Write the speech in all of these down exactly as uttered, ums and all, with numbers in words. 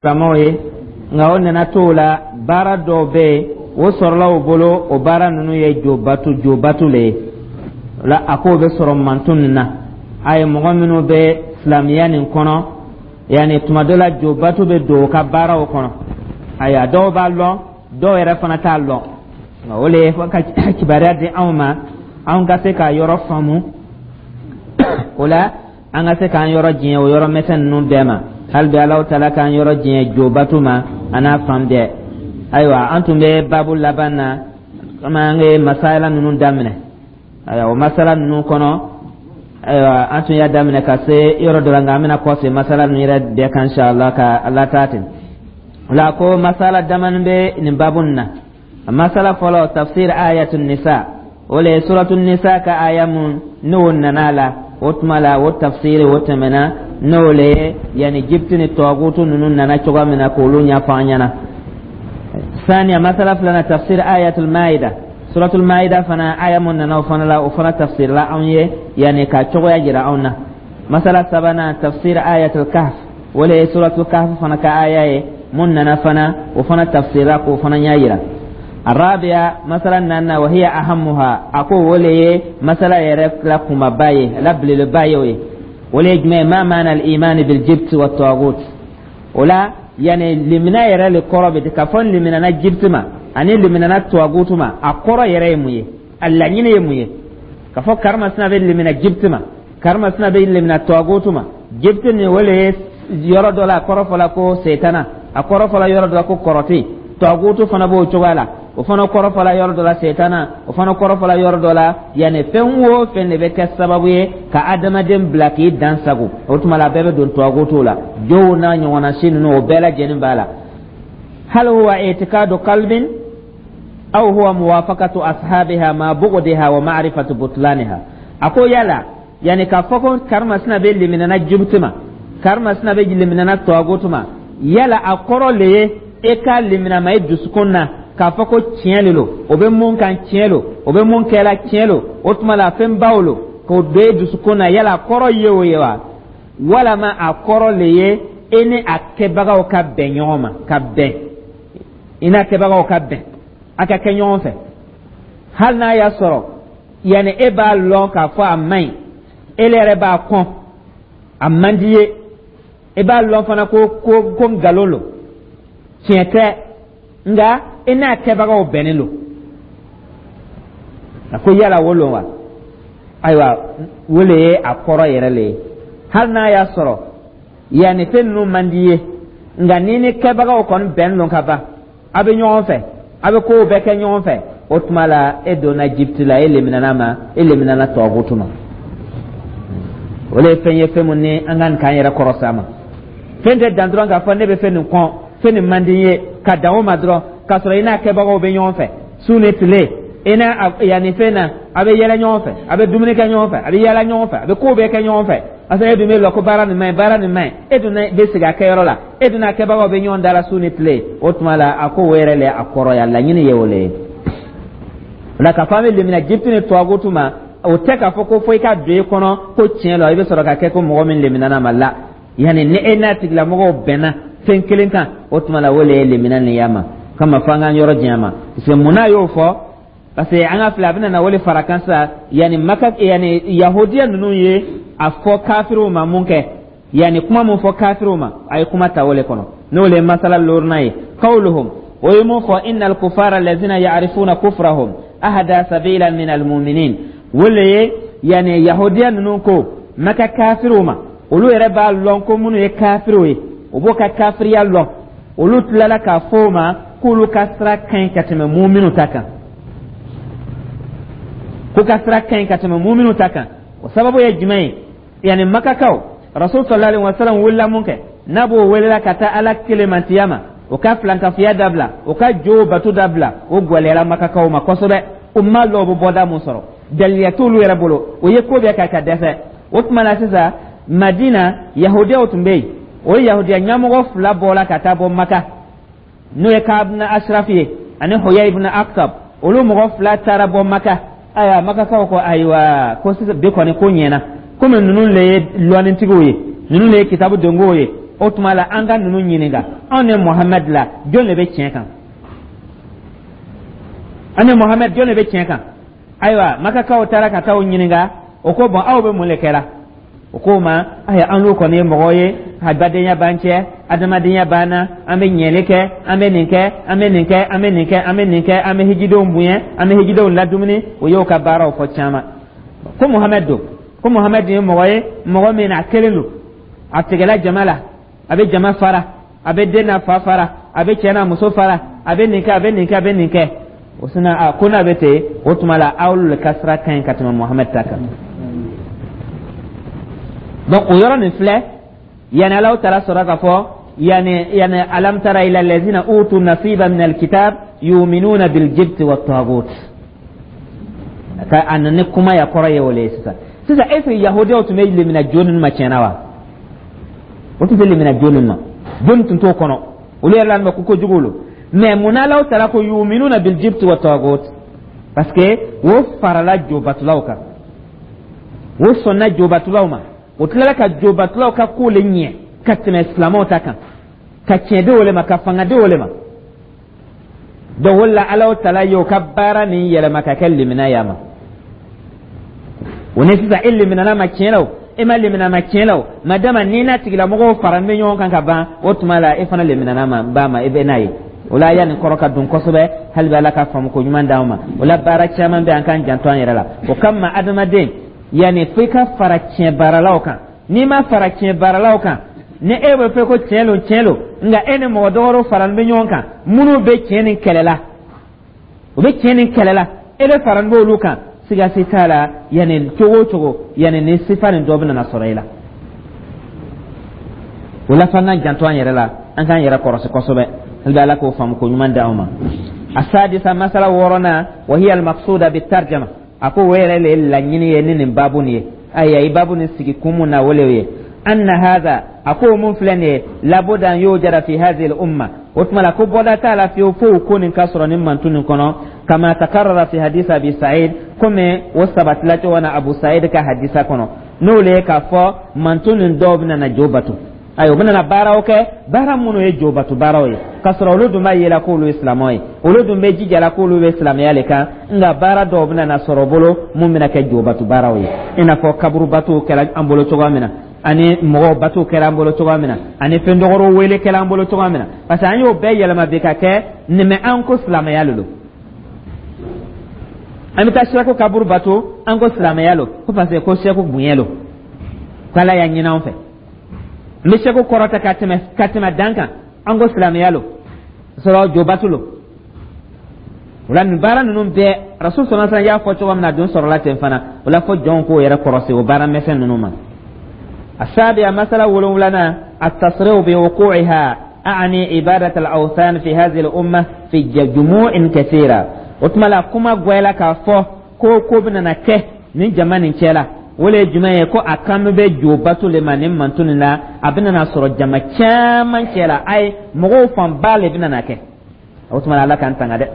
Silamɛw ye, nka o nana t'o la, baara dɔw bɛ yen, o sɔrɔla o bolo. O baara ninnu ye jobatu jobatu le ye. O la, a k'o bɛ sɔrɔ mantun nin na. A ye mɔgɔ minnu bɛ silamɛya nin kɔnɔ, yanni tuma dɔ la, jobatu bɛ don o ka baaraw kɔnɔ. Ayiwa, dɔw b'a lɔn, dɔw yɛrɛ fana t'a lɔn. Nka o le ye ka kibaruya di anw ma, anw ka se k'a yɔrɔ faamu. O la, an ka se k'an yɔrɔ diɲɛ o yɔrɔ misɛn ninnu bɛɛ ma. Hali bi, Alahu Taala k'an yɔrɔ diɲɛ jobatu ma, a n'a fan bɛɛ. Ayiwa, an tun bɛ baabu laban na, komi an ye masala ninnu daminɛ. Ayiwa, o masala ninnu kɔnɔ, ayiwa, an tun y'a daminɛ ka se yɔrɔ dɔ la, nka an bɛna kɔse masala ninnu yɛrɛ bɛɛ kan, inshallah, ka ala taa ten. O la, ko masala damani bɛ nin baabu nin na. Masala fɔlɔ, tafsir ayatu nisa. O le ye suratu nisa ka aya mun n'o nana la. O tuma la, o tafsiri o tɛmɛna, n'o le ye yanni jibiti ni tɔgutu ninnu nana cogoya min na, k'olu ɲɛfɔ an ɲɛna. Saniya, masala filanan, tafsir ayatul maida. Suratul maida fana, aya mun nana o fana la, o fana tafsirila anw ye, yanni ka cogoya jira anw na. Masala sabanan, tafsir ayatul kahf. O le ye suratul kahf fana ka aya ye mun nana fana, o fana tafsirila k'o fana ɲɛ yira. الرابعة, مسألة نانا، وهي أهمها. أكو ولي مسألة يرك كما باي لا بلل باي ولي ما معنى الإيمان بالجبت والطاغوت؟ ولا يعني limina yɛrɛ le kɔrɔ bɛ ka fɔ liminana jibiti ma ani liminana tuwagutu ma, a kɔrɔ yɛrɛ ye mun ye? A laɲini ye mun ye ka fɔ karimasina bɛ limina jibiti ma, karimasina bɛ limina tuwagutu ma? Jibiti nin, o le ye yɔrɔ dɔ la, a kɔrɔ fɔla ko setana, a kɔrɔ fɔla yɔrɔ dɔ la ko kɔrɔti. Tuwagutu fana b'o cogoya la, o fana kɔrɔ fɔla yɔrɔ dɔ la setana, o fana kɔrɔ fɔla yɔrɔ dɔ la. Yanni fɛn o fɛn de bɛ kɛ sababu ye ka adamaden bila k'i dan sago, o tuma la, a bɛɛ bɛ don tuwagutu la. Jow n'a ɲɔgɔnna si ninnu, o bɛɛ lajɛlen b'a la. هل هو اعتقاد قلب أو هو موافقة أصحابها مع بغضها ومعرفة بطلانها؟ أقول يلا يعني كفوكو كارما سنا بي لمننا جبتما، كارما سنا بي لمننا تواغوتما، yala a kɔrɔ le ye e ka limina ma i dusukun na k'a fɔ ko tiɲɛ le lo, o bɛ mun kan tiɲɛ lo, o bɛ mun kɛla tiɲɛ lo, o tuma la fɛn baw lo k'o don e dusukun na, yala a kɔrɔ ye o ye wa, walama a kɔrɔ le ye e ni a kɛbagaw ka bɛn ɲɔgɔn ma, ka bɛn i n'a kɛbagaw ka bɛn, a ka kɛ ɲɔgɔn fɛ, hali n'a y'a sɔrɔ yanni e b'a lɔn k'a fɔ a man ɲi, e yɛrɛ b'a kɔn, a man di ye, e b'a lɔn fana ko ko ko nkalon lo, tiɲɛ tɛ, nka i n'a kɛbagaw bɛnnen don? A ko yala wo lon wa? Ayiwa, o le ye a kɔrɔ yɛrɛ le ye, hali n'a y'a sɔrɔ yanni fɛn ninnu man di ye, nka n'i ni kɛbagaw kɔni bɛn lon ka ban, a bɛ ɲɔgɔn fɛ, a bɛ kow bɛɛ kɛ ɲɔgɔn fɛ, o tuma la, e donna jibiti la, e leminana ma, e leminana tɔgutu ma. O le ye fɛn ye, fɛn mun ni an ka nin k'an yɛrɛ kɔrɔ sa ma. Fɛn tɛ dan dɔrɔn k'a fɔ ne bɛ fɛn nin kɔn, fɛn nin man di n ye, ka dan o ma dɔrɔn, k'a sɔrɔ i n'a kɛbagaw bɛ ɲɔgɔn fɛ su ni tile, i n'a yanni fɛn na, a bɛ yɛlɛ ɲɔgɔn fɛ, a bɛ dumuni kɛ ɲɔgɔn fɛ, a bɛ yɛlɛ ɲɔgɔn fɛ, a bɛ kow bɛɛ kɛ ɲɔgɔn fɛ. Parce que e dun bɛ lɔ ko baara nin man ɲi, baara nin man ɲi, e dun bɛ sigi a kɛyɔrɔ la, e dun n'a kɛbagaw bɛ ɲɔgɔn da la su ni tile. O tuma la, a ko o yɛrɛ le a kɔrɔ ye, a laɲini ye o le ye. O la, k'a fɔ an bɛ lemina jibiti ni tuwagutu ma, o tɛ k'a fɔ ko fo i ka don i kɔnɔ ko tiɲɛ la, i bɛ sɔrɔ ka kɛ ko mɔgɔ min leminana ma la. Yanni ni e n'a tigilamɔgɔw bɛnna fɛn kelen kan, o tuma la, o le ye lemina nin y'a ma kama fo an k'an yɔrɔ janya ma. Parce que mun n'a y'o fɔ? Parce que an ka filɛ, a bɛna na wele fara kan sisan. Yanni Maka, yanni yahudiya ninnu ye a fɔ kafiriw ma mun kɛ, yanni kuma mun fɔ kafiriw ma, a ye kuma ta o le kɔnɔ, n'o le ye masala loruna ye. قولهم, o ye mun fɔ? إن الكفار الذين يعرفون كفرهم أهدى سبيلا من المؤمنين. O le ye yanni yahudiya ninnu ko Maka kafiriw ma, olu yɛrɛ b'a lɔn ko minnu ye kafiriw ye, o b'o ka kafiriya lɔn, olu tilala k'a fɔ o ma k'olu ka sira ka ɲi ka tɛmɛ muminu ta kan, k'u ka sira ka ɲi ka tɛmɛ muminu ta kan. O sababu ye jumɛn ye? Yanni Makakaw, Rasul صلى الله عليه وسلم wulila mun kɛ, n'a b'o welela ka taa Ala kelemantiya ma, o ka filankafiya dabila, o ka jo batu dabila, o gwɛlɛyara Makakaw ma kosɛbɛ. U ma lɔ, u bɛ bɔda mun sɔrɔ, daliya t'olu yɛrɛ bolo, o ye ko bɛɛ kɛ ka dɛsɛ. O tuma na sisan, Madina yahudiyaw tun bɛ yen. O yahudiya ɲɛmɔgɔ fila bɔra ka taa bɔ Maka, n'o ye Kaabina Asirafi ye ani Hoya ibn Aktab. Olu mɔgɔ fila taara bɔ Maka. Ayiwa, Makakaw ko ayiwa, ko sisan bi kɔni ko ɲɛna, komi ninnu le ye lɔnnitigiw ye, ninnu le ye kitabu donkow ye. O tuma la, an ka ninnu ɲininka: anw ni Muhamɛd la, jɔn de bɛ tiɲɛ kan? An ni Muhamɛd, jɔn de bɛ tiɲɛ kan? Ayiwa, Makakaw taara ka taa o ɲininka. O ko: bɔn, aw bɛ mun de kɛra? O ko ma: ayiwa, an n'u kɔni ye mɔgɔ ye, badenya b'an cɛ, adamadenya b'an na, an bɛ ɲɛli kɛ, an bɛ nin kɛ, an bɛ nin kɛ, an bɛ nin kɛ, an bɛ nin kɛ, an bɛ hijidenw bonya, an bɛ hijidenw ladumuni. O y'o ka baaraw fɔ caman. Ko Muhamɛd don, ko Muhamɛd ye mɔgɔ ye, mɔgɔ min a kelen don, a tigɛla jama la, a bɛ jama fara, a bɛ den n'a fa fara, a bɛ cɛ n'a muso fara, a bɛ nin kɛ, a bɛ nin kɛ, a bɛ nin kɛ. O sina a ko n'a bɛ ten, o tuma la, aw le ka sira ka ɲi ka tɛmɛ Muhamɛd ta kan. Donc o yɔrɔ nin filɛ yanni Alaw taara sɔrɔ k'a fɔ yani yani alam tara ila allazina utu nasiba min alkitab yuminuna biljibti wa tagut. Ka a nana ni kuma ya kɔrɔ ye o le ye. Sisan sisan, est ce que Yahudiyaw tun bɛ lemina jo ninnu ma tiɲɛna wa? O tun tɛ lemina jo ninnu ma, jo tun t'o kɔnɔ, olu yɛrɛ la ko kojugu lo. Mais mun n'Alaw taara ko yuminuna biljibti wa tagut? Parce que o farala jobatulaw kan, o sɔnna jobatulaw ma, o tilala ka jobatulaw ka ko le ɲɛ ka tɛmɛ silamɛw ta kan, ka tiɲɛ di o le ma, ka fanga di o le ma. Donc o la, Alaw tala ye o ka baara nin yɛlɛma ka kɛ limina ya ma. O ni sisan, e liminana ma tiɲɛ la, o e ma limina ma tiɲɛ la, o madama n'i n'a tigilamɔgɔw fara bɛ ɲɔgɔn kan ka ban, o tuma la, e fana liminana ma ba ma, e bɛ n'a ye. O la, yanni kɔrɔ ka don kosɛbɛ, hali bɛ Ala ka faamu ko ɲuman d'anw ma. O la, baara caman bɛ, an k'an janto an yɛrɛ la. O kama, adamaden, yanni fo i ka fara tiɲɛ baaralaw kan. N'i ma fara tiɲɛ baaralaw kan, ni e bɛ fɛ ko tiɲɛ lo, tiɲɛ lo, nka e ni mɔgɔ dɔwɛrɛw faralen bɛ ɲɔgɔn kan minnu bɛ tiɲɛ ni kɛlɛ la, u bɛ tiɲɛ ni kɛlɛ la, e bɛ faralen b'olu kan, siga si t'a la, yanni cogo o cogo, yanni ni sifa nin dɔ bɛ nana sɔrɔ i la. O la, f'an k'an janto an yɛrɛ la, an k'an yɛrɛ kɔlɔsi kosɛbɛ. Hali bɛ Ala k'o faamu ko ɲuman d'anw ma. Asadisa, masala wɔɔrɔnan, wa hiya almaqsuda bitarjama. A ko o yɛrɛ le ye laɲini ye ni nin baabu nin ye. Ayiwa, i baabu nin sigi kun mun na, o le ye anna hadha. A ko mun filɛ nin ye, labuda an yujada fi hadhihi al-umma. O tuma la, ko bɔda t'a la fiyewu fo o ko nin ka sɔrɔ nin mantu nin kɔnɔ, kama takarrara fi hadith Abi Sa'id, komi o sabatila cogo na Abu Sa'id ka hadisa kɔnɔ, n'o le ye k'a fɔ mantu nin dɔw bɛna na jo bato. Ayiwa, u bɛna baaraw kɛ, baara minnu ye jobatu baaraw ye, k'a sɔrɔ olu dun b'a yela k'olu ye silamɛw ye, olu dun bɛ jijala k'olu bɛ silamɛya le kan. Nka baara dɔw bɛna na sɔrɔ bolo mun bɛna kɛ jobatu baaraw ye, i n'a fɔ kaburu batow kɛra an bolo cogoya min na, ani mɔgɔw batow kɛra an bolo cogoya min na, ani fɛn dɔgɔrɔw wele kɛra an bolo cogoya min na, parce que an y'o bɛɛ yɛlɛma bi ka kɛ nin an ko silamɛya le don. An bɛ taa sɛku kaburu bato, an ko silamɛya lo, ko parce que ko sɛku bonya lo, k'Ala y'a ɲini an fɛ. N bɛ sɛku kɔrɔta ka tɛmɛ ka tɛmɛ dan kan, an ko silamɛya lo, sɔrɔ jobatu lo. O la, nin baara ninnu bɛɛ, Rasul sɔrɔ sallam y'a fɔ cogo min na, a dun sɔrɔla ten fana. O la, fɔ jɔnw k'o yɛrɛ kɔrɔsi o baara misɛn ninnu ma. السابعة، مسألة ولولنا، التصريح بوقوعها، أعني عبادة الأوثان في هذه الأمة في جموع كثيرة. وتملا كما قويلا كفو ko ko bɛna kɛ nin jama nin cɛ la, o le ye jumɛn ye? Ko a kan bɛ jo bato le ma nin manto nin la, a bɛna na sɔrɔ jama caman cɛ la, ayi, mɔgɔw fanba le bɛna na kɛ. O tuma, Ala k'an tanga dɛ.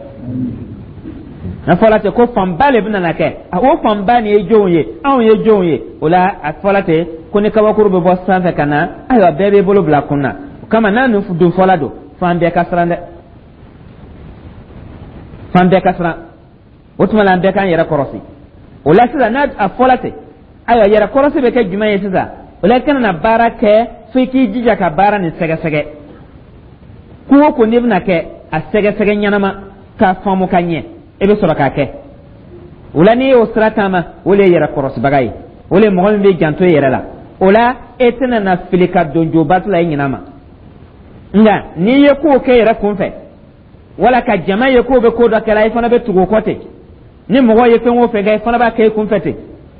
N'a fɔla ten ko fanba le bɛna na kɛ, o fanba nin ye jɔnw ye? Anw ye jɔnw ye? O la, a fɔla ten ko ni kabakuru bɛ bɔ sanfɛ ka na, ayiwa, bɛɛ b'i bolo bila kun na. O kama, n'a nin dun fɔla don, fan bɛɛ ka siran dɛ, fan bɛɛ ka siran. O tuma la, an bɛɛ k'an yɛrɛ kɔrɔsi. O la sisan, n'a a fɔla ten, ayiwa, yɛrɛ kɔrɔsi bɛ kɛ jumɛn ye sisan? O la, i kana na baara kɛ fo i k'i jija ka baara nin sɛgɛsɛgɛ. Ko o ko n'i bɛna kɛ, a sɛgɛsɛgɛ ɲɛnama k'a faamu ka ɲɛ, i bɛ sɔrɔ k'a kɛ. O la, n'i y'o sira taama, o le ye yɛrɛ kɔrɔsibaga ye, o le ye mɔgɔ min bɛ janto i yɛrɛ la. O la, e tɛna na fili ka don jobatu la i ɲinɛ ma. Nka n'i ye kow kɛ yɛrɛ kunfɛ, wala ka jama ye k'o bɛ ko dɔ kɛla, i fana bɛ tugu o kɔ ten. Ni mɔgɔ ye fɛn o fɛn kɛ, i fana b'a kɛ i kunfɛ ten,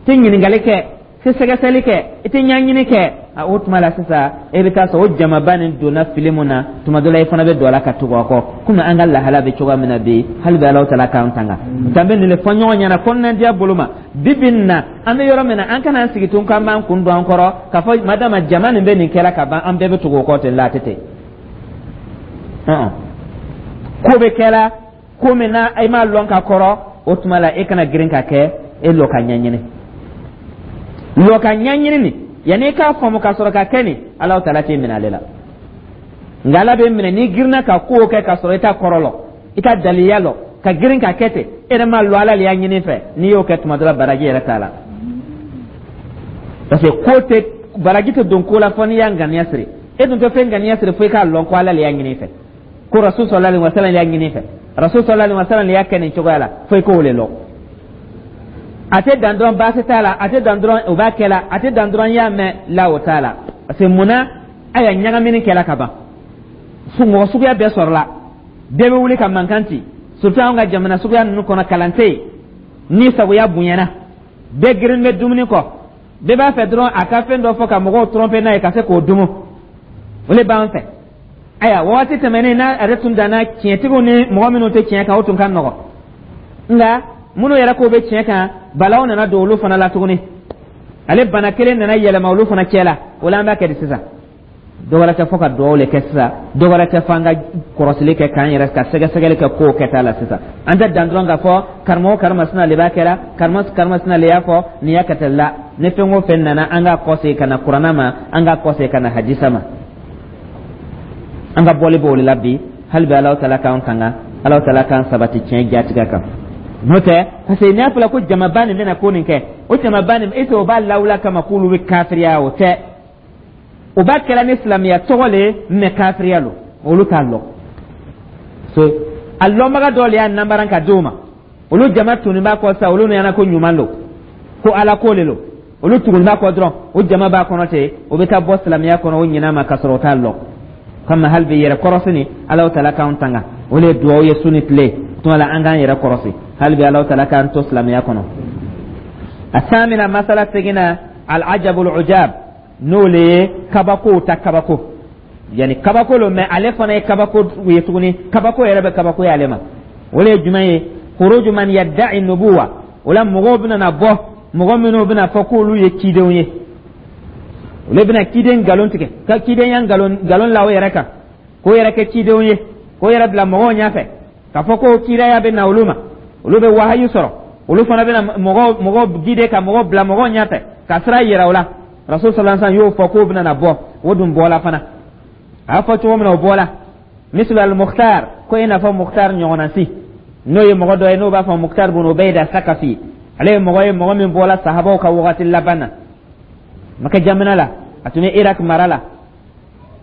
tɛ ɲininkali kɛ, tɛ sɛgɛsɛgɛli kɛ, i tɛ ɲɛɲini kɛ. O tuma la sisan, e bɛ taa sɔrɔ o jamaba nin donna fili mun na, tuma dɔ la, i fana bɛ don a la ka tugu a kɔ, komi an ka lahala bɛ cogoya min na bi. Hali bi, Alahu taala k'an tanga. Tan bɛ nin de fɔ ɲɔgɔn ɲɛna kɔnɔnadiya bolo ma. Bi bi nin na, an bɛ yɔrɔ min na, an kana an sigi tun k'an b'an kun don an kɔrɔ k'a fɔ madama jama nin bɛ nin kɛra ka ban, an bɛɛ bɛ tugu o kɔ ten la. A tɛ ten. Ko bɛ kɛla ko min na, e m'a lɔn ka kɔrɔ, o tuma la, e kana girin ka kɛ. E lɔ ka ɲɛɲini, lɔ ka ɲɛɲini nin. Yanni i k'a faamu ka sɔrɔ ka kɛ nin, Alahu Taala t'e minɛ ale la. Nka Ala bɛ minɛ n'i girinna ka kow kɛ ka sɔrɔ i t'a kɔrɔ lɔ, i t'a daliya lɔ, ka girin ka kɛ ten, e yɛrɛ m'a lɔ Ala le y'a ɲini fɛ. N'i y'o kɛ tuma dɔ la, baraji yɛrɛ t'a la, parce que ko tɛ, baraji tɛ don ko la fɔ n'i y'a ŋaniya siri. E dun tɛ fɛn ŋaniya siri fo i k'a lɔn ko Ala le y'a ɲini fɛ, ko Rasul sallallahu alaihi wasallam y'a ɲini fɛ, Rasul sallallahu alaihi wasallam y'a kɛ nin cogoya la, fo i k'o le lɔn. A tɛ dan dɔrɔn baasi t'a la, a tɛ dan dɔrɔn o b'a kɛ la, a tɛ dan dɔrɔn y'a mɛn la, o t'a la. Parce que munna? Ayiwa, ɲagamini kɛla ka ban, mɔgɔ suguya bɛɛ sɔrɔla, bɛɛ bɛ wuli ka mankan ci, surtout anw ka jamana suguya ninnu kɔnɔ, kalan tɛ yen, ni sagoya bonyana, bɛɛ girin bɛ dumuni kɔ, bɛɛ b'a fɛ dɔrɔn a ka fɛn dɔ fɔ ka mɔgɔw tromper n'a ye ka se k'o dumu, o de b'an fɛ. Ayiwa, waati tɛmɛnen n'a yɛrɛ tun danna tiɲɛtigiw ni mɔgɔ minnu tɛ tiɲɛ kan, o tun ka nɔgɔn. Nka minnu yɛrɛ k'o bɛ tiɲɛ kan, balaw nana don olu fana la tuguni, ale bana kelen nana yɛlɛma olu fana cɛ la. O la, an b'a kɛ di sisan? Dɔ wɛrɛ tɛ fɔ ka dugawu le kɛ sisan, dɔ wɛrɛ tɛ fɔ an ka kɔrɔsili kɛ k'an yɛrɛ ka sɛgɛsɛgɛli kɛ kow kɛta la sisan. An tɛ dan dɔrɔn k'a fɔ karamɔgɔ karimasina le b'a kɛra, karamɔgɔ karimasina le y'a fɔ nin y'a kɛ la. Ni fɛn o fɛn nana, an k'a kɔsegin ka na Kuranna ma, an k'a kɔsegin ka na hadisa ma. An ka bɔli b'o de la bi. Hali bi, Alahu Taala k'an tanga, Alahu Taala k'an sabati tiɲɛ jatigɛ kan. N'o tɛ, parce que n'a fɔra ko jamaba nin bɛna ko nin kɛ, o jamaba nin, est ce que o b'a lawula kama k'olu bɛ kafiriya? O tɛ, o b'a kɛra ni silamɛya tɔgɔ le ye, mɛ kafiriya lo, olu t'a lɔn. So a lɔnbaga dɔw le y'a nanbaran ka d'o ma, olu jama tunnen b'a kɔ sisan, olu ɲɛna ko ɲuman lo, ko Ala ko le lo, olu tugun b'a kɔ dɔrɔn, o jama b'a kɔnɔ ten, o bɛ taa bɔ silamɛya kɔnɔ o ɲin'a ma ka sɔrɔ o t'a lɔn. Kama hali bi, yɛrɛ kɔrɔsi ni Alahu Taala k'an tanga, o le ye duwawu ye su ni tile. Tuma la, an k'an yɛrɛ kɔrɔsi. Hali bi, Alahu Taala k'an to silamɛya kɔnɔ. A samina, masala seginna, al-ajabul ujab, n'o le ye kabakow ta kabako, yani kabako lo, mɛ ale fana ye kabako ye tuguni, kabako yɛrɛ bɛ kabako ye ale ma. O le ye jumɛn ye? Khuruju man yadda'i nubuwa. O la, mɔgɔw bɛna na bɔ, mɔgɔ minnu bɛna fɔ k'olu ye cidenw ye, olu bɛna ciden nkalon tigɛ, ka cidenya nkalon nkalon la o yɛrɛ kan, k'o yɛrɛ kɛ cidenw ye, k'o yɛrɛ bila mɔgɔw ɲɛfɛ k'a fɔ ko kiraya bɛ na olu ma, olu bɛ wahayu sɔrɔ, olu fana bɛna mɔgɔw mɔgɔw guider, ka mɔgɔw bila mɔgɔw ɲɛfɛ, ka sira yira o la. Rasul sallallahu alaihi wasallam y'o fɔ k'o bɛna na bɔ, o dun bɔla fana. A y'a fɔ cogo min na, o bɔla. Mislu al Mukhtar, ko i n'a fɔ Mukhtar ɲɔgɔnna si, n'o ye mɔgɔ dɔ ye n'o b'a fɔ Mukhtar bun Ubayda Sakafi. Ale ye mɔgɔ ye, mɔgɔ min bɔla sahabaw ka wagati laban na Maka jamana la, a tun bɛ Irak mara la.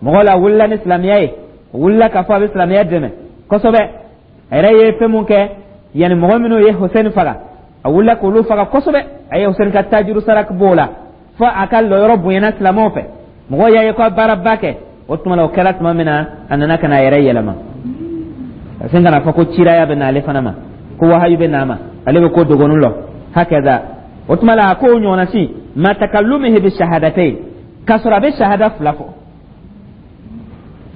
Mɔgɔ la wulila ni silamɛya ye, o wulila k'a fɔ a bɛ silamɛya dɛmɛ kosɛbɛ. A yɛrɛ ye fɛn mun kɛ, yanni mɔgɔ minnu ye Hussein faga, a wulila k'olu faga kosɛbɛ. A ye Hussein ka tajuru saraka b'o la fo a ka lɔyɔrɔ bonyana silamɛw fɛ, mɔgɔw y'a ye ko a baaraba kɛ. O tuma la, o kɛra tuma min na, a nana ka na a yɛrɛ yɛlɛma ka sin ka na fɔ ko ciraya bɛ na ale fana ma, ko wahayu bɛ na a ma, ale bɛ ko dogonu lɔ hakaza. O tuma la, a ko o ɲɔgɔnna si ma takallumihi bi shahadatayn, k'a sɔrɔ a bɛ shahada fila fɔ,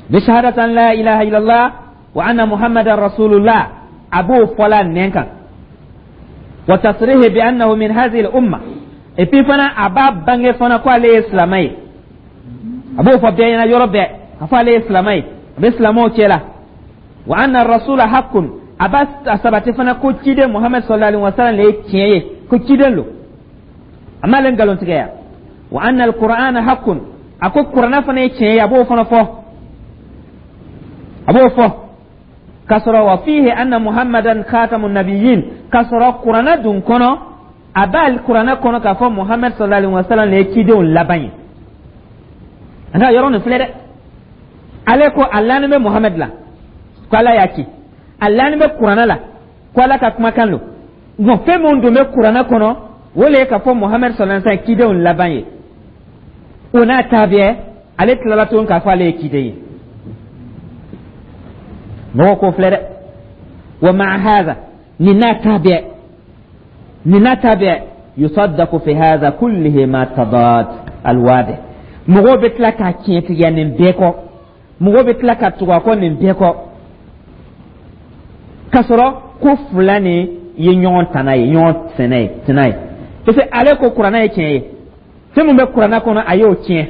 bi shahadatan la ilaha illallah wa anna muhammadan rasulullah, a b'o fɔla nɛn kan, wa tasrihi bi annahu min hadhihi al umma. Et puis fana, a b'a bange fana ko ale ye silamɛ ye, a b'o fɔ bɛɛ ɲɛna yɔrɔ bɛɛ k'a fɔ ale ye silamɛ ye, a bɛ silamɛw cɛ la. Wa anna rasula haqqun, a b'a sabati fana ko ciden Muhammad sallallahu alaihi wasallam le ye tiɲɛ ye, ko ciden lo, a m'ale nkalon tigɛ. Wa anna alqur'ana haqqun, a ko kuranna fana ye tiɲɛ ye, a b'o fana fɔ, a b'o fɔ k'a sɔrɔ wa fihi anna muhammadan khatamu nabiyyin, k'a sɔrɔ kuranna dun kɔnɔ, a b'a kuranna kɔnɔ k'a fɔ Muhammad sallallahu alaihi wasallam le ye cidenw laban ye. An ka yɔrɔ nin filɛ dɛ, ale ko a lanin bɛ Muhammad la ko Ala y'a ci, a lanin bɛ kuranna la ko Ala ka kumakan lo. Bon, fɛn min dun bɛ kuranna kɔnɔ, o le ye k'a fɔ Muhammad sallallahu alaihi wasallam cidenw laban ye. O n'a ta bɛɛ, ale tilala tuguni k'a fɔ ale ye ciden ye. Mɔgɔw k'o filɛ dɛ. Wa ma'a hadha, nin n'a ta bɛɛ, nin n'a ta bɛɛ, yusaddaqu fi hadha kullihi ma tadad alwadi, mɔgɔw bɛ tila k'a tiɲɛtigiya nin bɛɛ kɔ, mɔgɔw bɛ tila ka tugu a kɔ nin bɛɛ kɔ, k'a sɔrɔ ko fila nin ye ɲɔgɔn tana ye, ɲɔgɔn sɛnɛ ye, tɛnɛ ye. Parce que ale ko kuranna ye tiɲɛ ye, fɛn min bɛ kuranna kɔnɔ, a y'o tiɲɛ,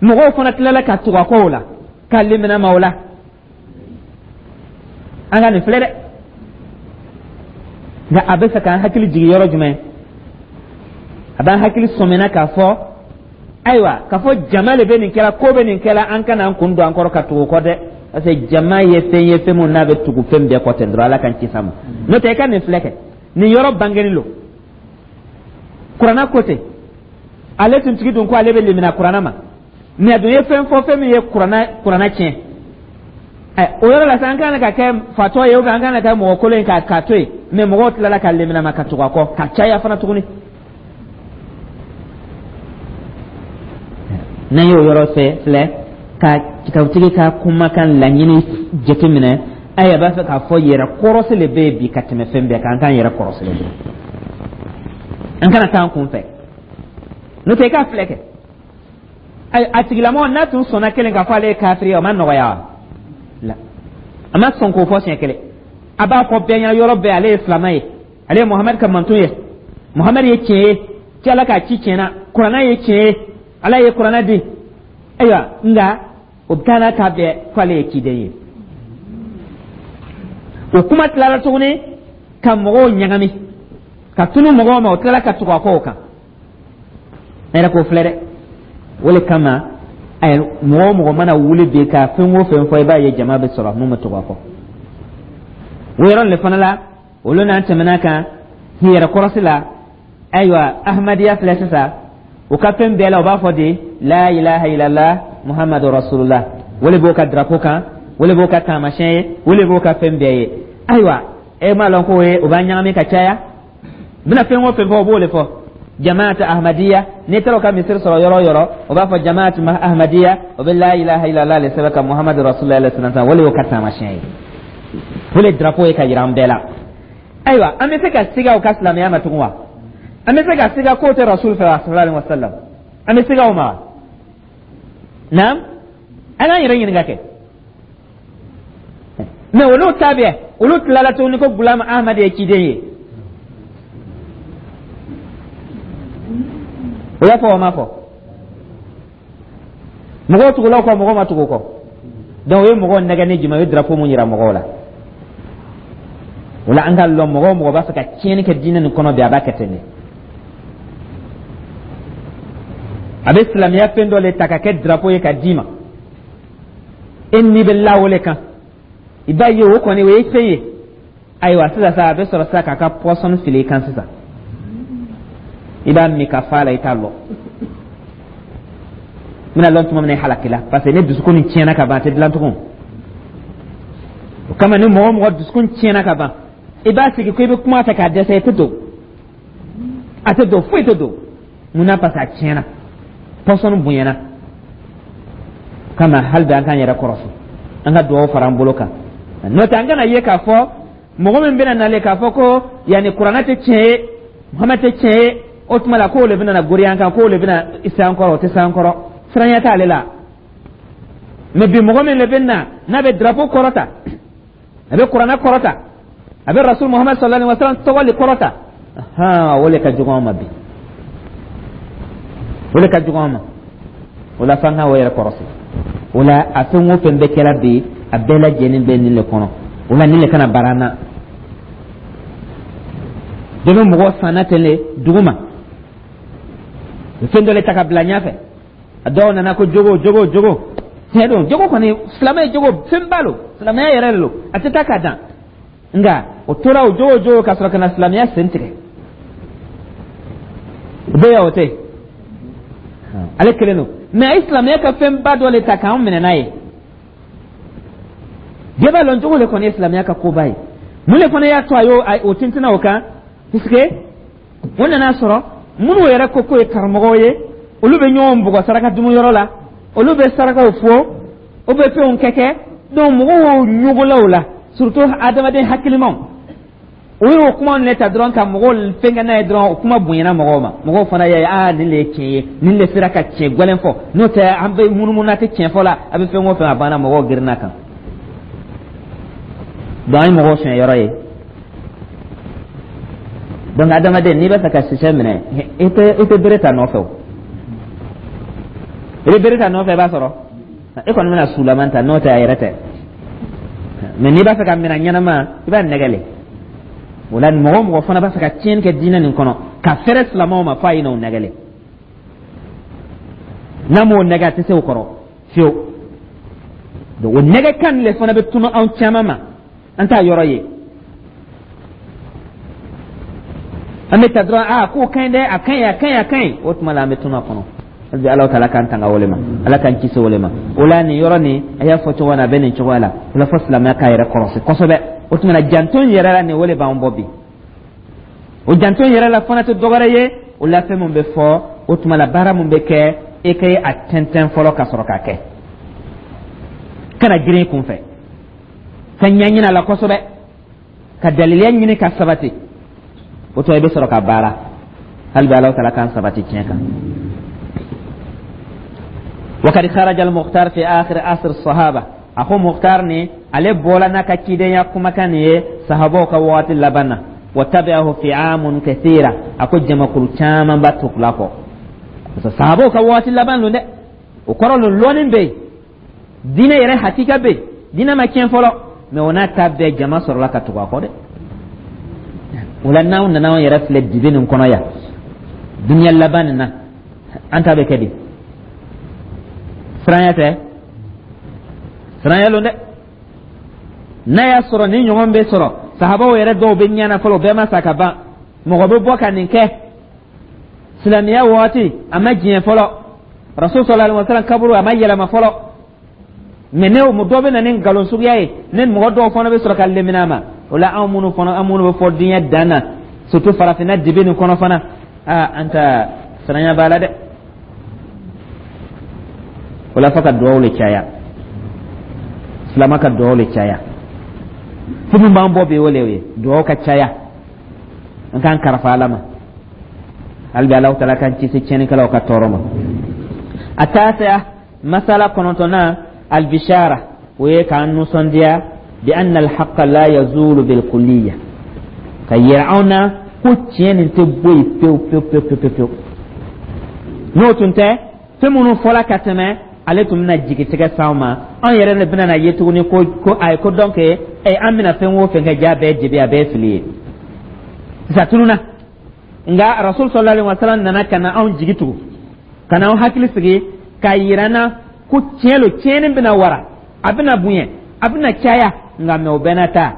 mɔgɔw fana tilala ka tugu a kɔ o la, ka limina ma o la. An ka nin filɛ dɛ. Nka a bɛ fɛ k'an hakili jigin yɔrɔ jumɛn? A b'an hakili sɔmina k'a fɔ Ayiwa, k'a fɔ jama le bɛ nin kɛla, ko bɛ nin kɛla, an kana an kun don an kɔrɔ ka tugu kɔ dɛ, parce que jama ye fɛn ye, fɛn mun n'a bɛ tugu fɛn bɛɛ kɔ ten dɔrɔn. Ala k'an kisi a ma. N'o tɛ, i ka nin filɛ kɛ, nin yɔrɔ bangeni lo. Kuranna ko ten, ale tun tigi dun ko ale bɛ limina kuranna ma, mɛ a dun ye fɛn fɔ, fɛn min ye kuranna kuranna tiɲɛ. Ɛ, o yɔrɔ la sisan, an kan ka kɛ fatɔ ye, ou bien an kan ka kɛ mɔgɔ kolon ye k'a k'a to yen? Mɛ mɔgɔw tilala ka limina ma ka tugu a kɔ ka caya fana tuguni. N'an y'o yɔrɔ fɛ filɛ ka kitabutigi ka kumakan laɲini jateminɛ, ayi, a b'a fɛ k'a fɔ yɛrɛ kɔrɔsi le bɛ yen bi ka tɛmɛ fɛn bɛɛ kan. An k'an yɛrɛ kɔrɔsi le, an kana taa an kun fɛ. N'o tɛ, i k'a filɛ kɛ, ayi, a tigilamɔgɔ n'a tun sɔnna kelen k'a fɔ ale ye kafiri ye, o ma nɔgɔya wa? La, a ma sɔn k'o fɔ siɲɛ kelen. A b'a fɔ bɛɛ ɲɛna yɔrɔ bɛɛ, ale ye silamɛ ye, ale ye Muhamadu ka mantun ye, Muhamadu ye tiɲɛ ye, ci Ala k'a ci tiɲɛ na, kuranna ye tiɲɛ ye, Ala ye kuranna di. Ayiwa, nka o bɛ taa n'a ta bɛɛ k'ale ye ciden ye. O kuma tilara tuguni ka mɔgɔw ɲagami ka tunu mɔgɔw ma, o tilala ka tugu a kɔ o kan. Ne yɛrɛ k'o filɛ dɛ. O le kama ayi, mɔgɔ o mɔgɔ mana wuli bi ka fɛn o fɛn fɔ, i b'a ye jama bɛ sɔrɔ mun bɛ tugu a kɔ. O yɔrɔ le fana la, olu n'an tɛmɛna kan yɛrɛ kɔrɔsi la. Ayiwa, Ahmadiyya filɛ sisan, u ka fɛn bɛɛ la, u b'a fɔ de la ilaha illallah Muhammadu rasulullah. O le b'o ka drapeau kan, o le b'o ka taamasiyɛn ye, o le b'o ka fɛn bɛɛ ye. Ayiwa, e m'a lɔn k'o ye o b'a ɲagami ka caya. U bɛna fɛn o fɛn fɔ, o b'o de fɔ jamaat Ahmadiyya. N'i taara u ka misiri sɔrɔ yɔrɔ o yɔrɔ, o b'a fɔ jamaat Ahmadiyya, o bɛ la ilaha illallah le sɛbɛn ka Muhammadu rasulullah alayhi salam. O le y'o ka taamasiyɛn ye, o le drapeau ye ka yira an bɛɛ la. Ayiwa, an bɛ se ka siga u ka silamɛya ma tugun wa? An bɛ se ka siga k'o tɛ rasul fɛ wa, sallallahu alaihi wa sallam? An bɛ siga o ma wa? Naam, an k'an yɛrɛ ɲininka kɛ. Mɛ olu ta bɛɛ, olu tilala tuguni ko Gulam Ahmad ye ciden ye. O y'a fɔ, o ma fɔ? Mɔgɔw tugula o kɔ, mɔgɔw ma tugu o kɔ. Donc o ye mɔgɔw nɛgɛ ni jumɛn? O ye drapeau mun yira mɔgɔw la. O la, an ka lɔn, mɔgɔ o mɔgɔ b'a fɛ ka tiɲɛni kɛ diinɛ nin kɔnɔ bi, a b'a kɛ ten de. A bɛ silamɛya fɛn dɔ le ta ka kɛ drapeau ye ka d'i ma, e ni bɛ la o le kan. I b'a ye, o kɔni o ye fɛn ye. Ayiwa, sisan sa, a bɛ sɔrɔ sisan k'a ka poison fili i kan. Sisan i b'a min ka fa la, i t'a lɔ n bɛna lɔn tuma min na, i halakila, parce que ne dusukun nin tiɲɛna ka ban, a tɛ dilan tugun. O kama, ni mɔgɔ o mɔgɔ dusukun tiɲɛna ka ban, i b'a sigi ko i bɛ kuma fɛ k'a dɛsɛ, i tɛ don, a tɛ don, foyi tɛ don. Mun na? Parce que a tiɲɛna, poison bonyana. O kama, hali bi an k'an yɛrɛ kɔrɔsi, an ka dugawu fara an bolo kan. N'o tɛ, an kana ye k'a fɔ mɔgɔ min bɛna nalen k'a fɔ ko yanni kuranɛ tɛ tiɲɛ ye, Muhamɛd tɛ tiɲɛ ye, o tuma la k'o le bɛna na goriya an kan, k'o le bɛna se an kɔrɔ. O tɛ se an kɔrɔ, siranya t'ale la. Mɛ bi, mɔgɔ min le bɛ na n'a bɛ drapeau kɔrɔta, a bɛ kuranɛ kɔrɔta, a bɛ rasul Muhamad sallallahu alaihi wa sallam tɔgɔ le kɔrɔta, o le ka jugu an ma bi, o le ka jugu an ma. O la, f'an ka o yɛrɛ kɔrɔsi. O la, a fɛn o fɛn bɛ kɛra bi, a bɛɛ lajɛlen bɛ nin le kɔnɔ. O la, nin le kana baara an na. Dɔ bɛ mɔgɔ sanna ten le dugu ma, fɛn dɔ le ta ka bila ɲɛfɛ. A dɔw nana ko jogo, jogo, jogo. Tiɲɛ don, jogo kɔni, silamɛ ye jogo fɛnba lo, silamɛya yɛrɛ de lo, a tɛ taa k'a dan. Nka o tora o jogo jogo ka sɔrɔ ka na silamɛya sen tigɛ. O bɛ yan, o tɛ yen, ale kelen don. Mɛ a ye silamɛya ka fɛnba dɔ le ta k'an minɛ n'a ye. Bɛɛ b'a lɔn, jogo le kɔni ye silamɛya ka koba ye. Mun de fana y'a to a y'o o tintinna o kan? Puisque o nana sɔrɔ minnu yɛrɛ ko k'o ye karamɔgɔw ye, olu bɛ ɲɔgɔn bugɔ saraka dumuyɔrɔ la, olu bɛ sarakaw fɔ, o bɛ fɛnw kɛ kɛ. Donc mɔgɔw y'o ɲogola o la, surtout adamaden hakilimaw. O y'o kuma ne ta dɔrɔn ka mɔgɔw fɛnkɛ n'a ye dɔrɔn, o kuma bonyana mɔgɔw ma. Mɔgɔw fana y'a ye, aa, nin de ye tiɲɛ ye, nin de sera ka tiɲɛ gɛlɛn fɔ. N'o tɛ, an bɛ munumunu, a tɛ tiɲɛ fɔ la, a bɛ fɛn o fɛn, a banna, mɔgɔw girinna kan. Donc an ye mɔgɔw suɲɛ yɔrɔ ye. Donc adamaden, n'i b'a fɛ ka sisɛ minɛ, i tɛ i tɛ bere ta nɔfɛ. O i bɛ bere ta nɔfɛ, i b'a sɔrɔ e kɔni bɛna sulaman ta, n'o tɛ a yɛrɛ tɛ. Mɛ n'i b'a fɛ ka minɛ ɲɛnama, i b'a nɛgɛ le. O la, mɔgɔ o mɔgɔ fana b'a fɛ ka tiɲɛni kɛ diinɛ nin kɔnɔ ka fɛrɛ silamɛw ma, f'a ye n'o nɛgɛ le. N'a m'o nɛgɛ, a tɛ se o kɔrɔ fiyewu. Donc o nɛgɛ kan le fana bɛ tunu anw caman ma, an t'a yɔrɔ ye. An bɛ ta dɔrɔn, aa, k'o ka ɲi dɛ, a ka ɲi, a ka ɲi, a ka ɲi. O tuma la, an bɛ tunu a kɔnɔ. Hali bi, Ala taala k'an tanga o le ma, Ala k'an kisi o le ma. O la, nin yɔrɔ nin, a y'a fɔ cogo min na, a bɛ nin cogoya la. O la, fo silamɛya k'a yɛrɛ kɔlɔsi kosɛbɛ. O tuma na, janto in yɛrɛ la, nin o le b'an bɔ bi. O janto in yɛrɛ la fana tɛ dɔwɛrɛ ye. O la, fɛn min bɛ fɔ, o tuma la, baara min bɛ kɛ, e ka a tɛntɛn fɔlɔ ka sɔrɔ k'a kɛ. Kana girin i kunfɛ, ka ɲɛɲini a la kosɛbɛ, ka daliliya ɲini ka sabati. O tuma, i bɛ sɔrɔ ka baara. Hali bi, Ala taala k'an sabati tiɲɛ kan. وقد خرج المختار في آخر عصر الصحابة. أخو مختار ني عليه بولا نكا كيدين كما كان sahabaw ka waati laban na. وتبعه فئام كثيرة. A ko jamakulu caman b'a tugula kɔ, parce que sahabaw ka waati laban lo dɛ. O kɔrɔ lo, lɔnni bɛ yen, diinɛ yɛrɛ hakika bɛ yen, diinɛ ma tiɲɛ fɔlɔ. Mɛ o n'a ta bɛɛ, jama sɔrɔla ka tugu a kɔ dɛ. O la, n'anw nana anw yɛrɛ filɛ dibi nin kɔnɔ yan, duniya laban nin na, an ta bɛ kɛ di? Siranya tɛ, siranya lon dɛ. N'a y'a sɔrɔ ni ɲɔgɔn bɛ sɔrɔ, sahabaw yɛrɛ dɔw bɛ ɲɛna fɔlɔ, bɛɛ ma sa ka ban. Mɔgɔ bɛ bɔ ka nin kɛ silamɛya waati, a ma diɲɛ fɔlɔ, Rasul sallallahu alaihi wasallam kaburu a ma yɛlɛma fɔlɔ. Mɛ ne dɔ bɛ na ni nkalon suguya ye, ne mɔgɔ dɔw fana bɛ sɔrɔ ka lemina ma. O la, anw minnu fana, an minnu bɛ fɔ diɲɛ dan na, surtout farafinna dibi nin kɔnɔ fana, aa, an ta siranya b'a la dɛ. O la, fo ka duwawu le caya, silama ka duwawu le caya. Fo min b'an bɔ bi, o le ye duwawu ka caya, an k'an karafa Ala ma. Hali bi, Alahu taala k'an kisi tiɲɛnikɛlaw ka tɔɔrɔ ma. التاسعة, masala kɔnɔntɔnnan, البشارة, o ye k'an nisɔndiya, بأن الحق لا يزول بالكلية, ka yira anw na ko tiɲɛ nin tɛ bɔ yen pewu pewu pewu pewu pewu. N'o tun tɛ, fɛn minnu fɔla ka tɛmɛ, ale tun bɛna jigitigɛ s'anw ma. Anw yɛrɛ de bɛna na ye tuguni ko ko ayi, ko donc ɛ an bɛna fɛn o fɛn kɛ, ja bɛɛ dibi, a bɛɛ ye fili ye. Sisan tununa, nka Rasul sallallahu alaihi wasallam nana ka na anw jigi tugu, ka na anw hakili sigi, k'a yira n na ko tiɲɛ lo, tiɲɛni bɛna wara, a bɛna bonya, a bɛna caya. Nka mɛ, o bɛɛ n'a ta,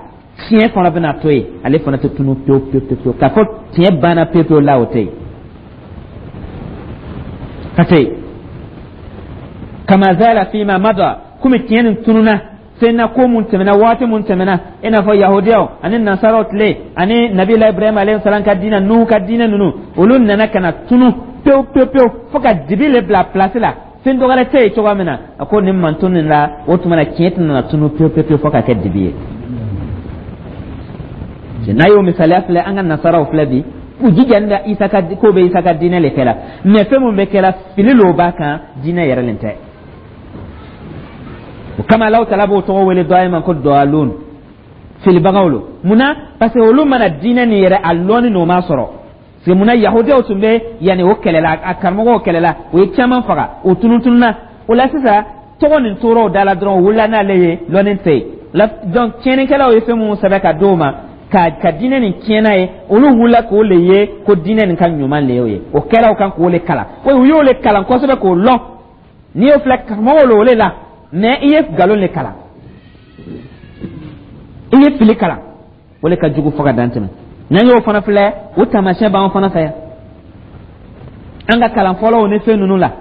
tiɲɛ fana bɛna to yen, ale fana tɛ tunu pewu pewu pewu. K'a fɔ tiɲɛ banna pewu pewu la, o tɛ yen ka tɛ yen. كما زال فيما مضى, komi tiɲɛ nin tununa fɛn na, ko mun tɛmɛna, waati mun tɛmɛna, i n'a fɔ yahudiyaw ani nasaraw tile, ani nabila Ibrahima alayhi salam ka diinɛ, Nuhu ka diinɛ ninnu, olu nana ka na tunu pewu pewu pewu, fo ka dibi le bila place la, fɛn dɔ wɛrɛ tɛ yen cogoya min na. A ko nin mantun nin la, o tuma na, tiɲɛ tɛna tunu pewu pewu pewu fo ka kɛ dibi ye. N'a y'o misaliya filɛ, an ka nasaraw filɛ bi, u jijalen bɛ Isa ka ko bɛ Isa ka diinɛ le kɛla. Mɛ fɛn mun bɛ kɛla, fili lo b'a kan, diinɛ yɛrɛ nin tɛ. O kama, Alahu taala b'o tɔgɔ wele dɔ ma ko ضالون, filibagaw lo. Munna? Parce que olu mana diinɛ nin yɛrɛ a lɔnni n'o ma sɔrɔ. Parce que munna, yahudiyaw tun bɛ yanni o kɛlɛla, a karamɔgɔw kɛlɛla, o ye caman faga, o tununtununa. O la sisan, tɔgɔ nin tora o da la dɔrɔn, o wulila n'ale ye, lɔnni tɛ yen. Donc tiɲɛnikɛlaw ye fɛn minnu sɛbɛn ka d'o ma ka ka diinɛ nin tiɲɛna ye, olu wulila k'o le ye ko diinɛ nin ka ɲuman le y'o ye. O kɛra o kan k'o le kalan, o u y'o le kalan kosɛbɛ k'o lɔn. N'i y'o filɛ, karamɔgɔw lo o le la, mais i ye nkalon le kalan, i ye fili kalan, o le ka jugu fo ka dan tɛmɛ. N'an y'o fana filɛ, o taamasiyɛn b'an fana fɛ yan, an ka kalan fɔlɔw ni fɛn ninnu la.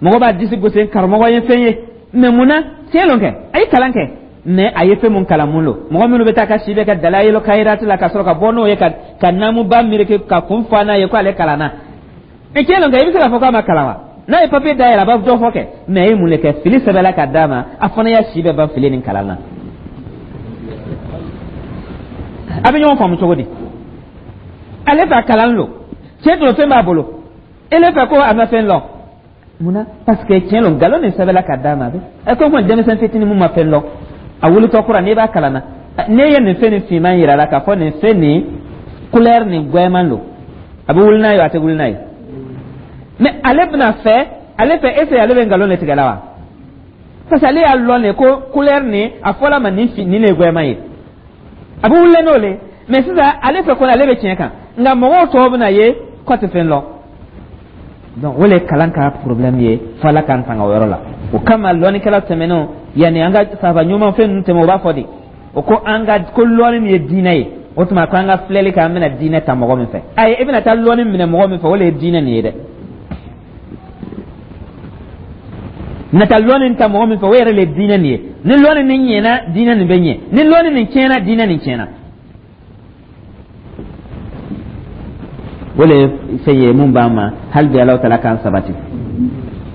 Mɔgɔ b'a disi gosi, karamɔgɔ ye fɛn ye, mais mun na tiɲɛ lon kɛ, a ye kalan kɛ, mais a ye fɛn mun kalan, mun lo? Mɔgɔ minnu bɛ taa ka si bɛ ka dalayilu kayirati la, ka sɔrɔ ka bɔ n'o ye, ka ka naamuba miriki ka kun fa n'a ye ko ale kalanna, mais tiɲɛ lon kɛ, i bɛ se k'a fɔ k'a ma kalan wa? N'a ye papiye dayɛlɛ, a b'a dɔ fɔ kɛ, mais a ye mun de kɛ? Fili sɛbɛnla ka d'a ma, a fana y'a si bɛɛ ban fili nin kalan na. A bɛ ɲɔgɔn faamu cogo di? Ale fɛ a kalan lo, tiɲɛ don, fɛn b'a bolo, ele fɛ ko a ma fɛn lɔn. Munna? Parce que tiɲɛ don, nkalon nin sɛbɛnla ka d'a ma. A bɛ ɛ ko denmisɛn fitinin mun ma fɛn lɔn, a wulitɔ kura, n'i b'a kalan na, n'e ye nin fɛn nin finman yira la k'a fɔ nin fɛn nin couleur nin gwɛman don, a bɛ wuli n'a ye, a tɛ wuli n'a ye. Mais ale bɛna fɛ, ale fɛ est ce que ale bɛ nkalon de tigɛ la wa? Parce que ale y'a lɔn de ko couleur nin, a fɔla ma nin nin de ye gwɛman ye, a bɛ wuli n'o le. Mais sisan, ale fɛ kɔni, ale bɛ tiɲɛ kan, nka mɔgɔw tɔw bɛna ye k'a tɛ fɛn lɔn. Donc o le kalan ka problème ye, fo Ala k'an tanga o yɔrɔ la. O kama lɔnnikɛla tɛmɛnenw, yanni an ka sahaba ɲuman fɛn ninnu tɛmɛ, o b'a fɔ de o ko an ka ko lɔnni min ye diinɛ ye, o tuma ko an ka filɛli kɛ, an bɛna diinɛ ta mɔgɔ min fɛ. Ayi, i bɛna taa lɔnni minɛ mɔgɔ min fɛ, o le ye diinɛ nin ye dɛ. Na taa lɔnni ta mɔgɔ min fɛ, o yɛrɛ le ye diinɛ nin ye. Ni lɔnni nin ɲɛna, diinɛ nin bɛ ɲɛ. Ni lɔnni nin tiɲɛna, diinɛ nin tiɲɛna. O le ye fɛn ye mun b'an ma hali bi, Alahu taala k'an sabati.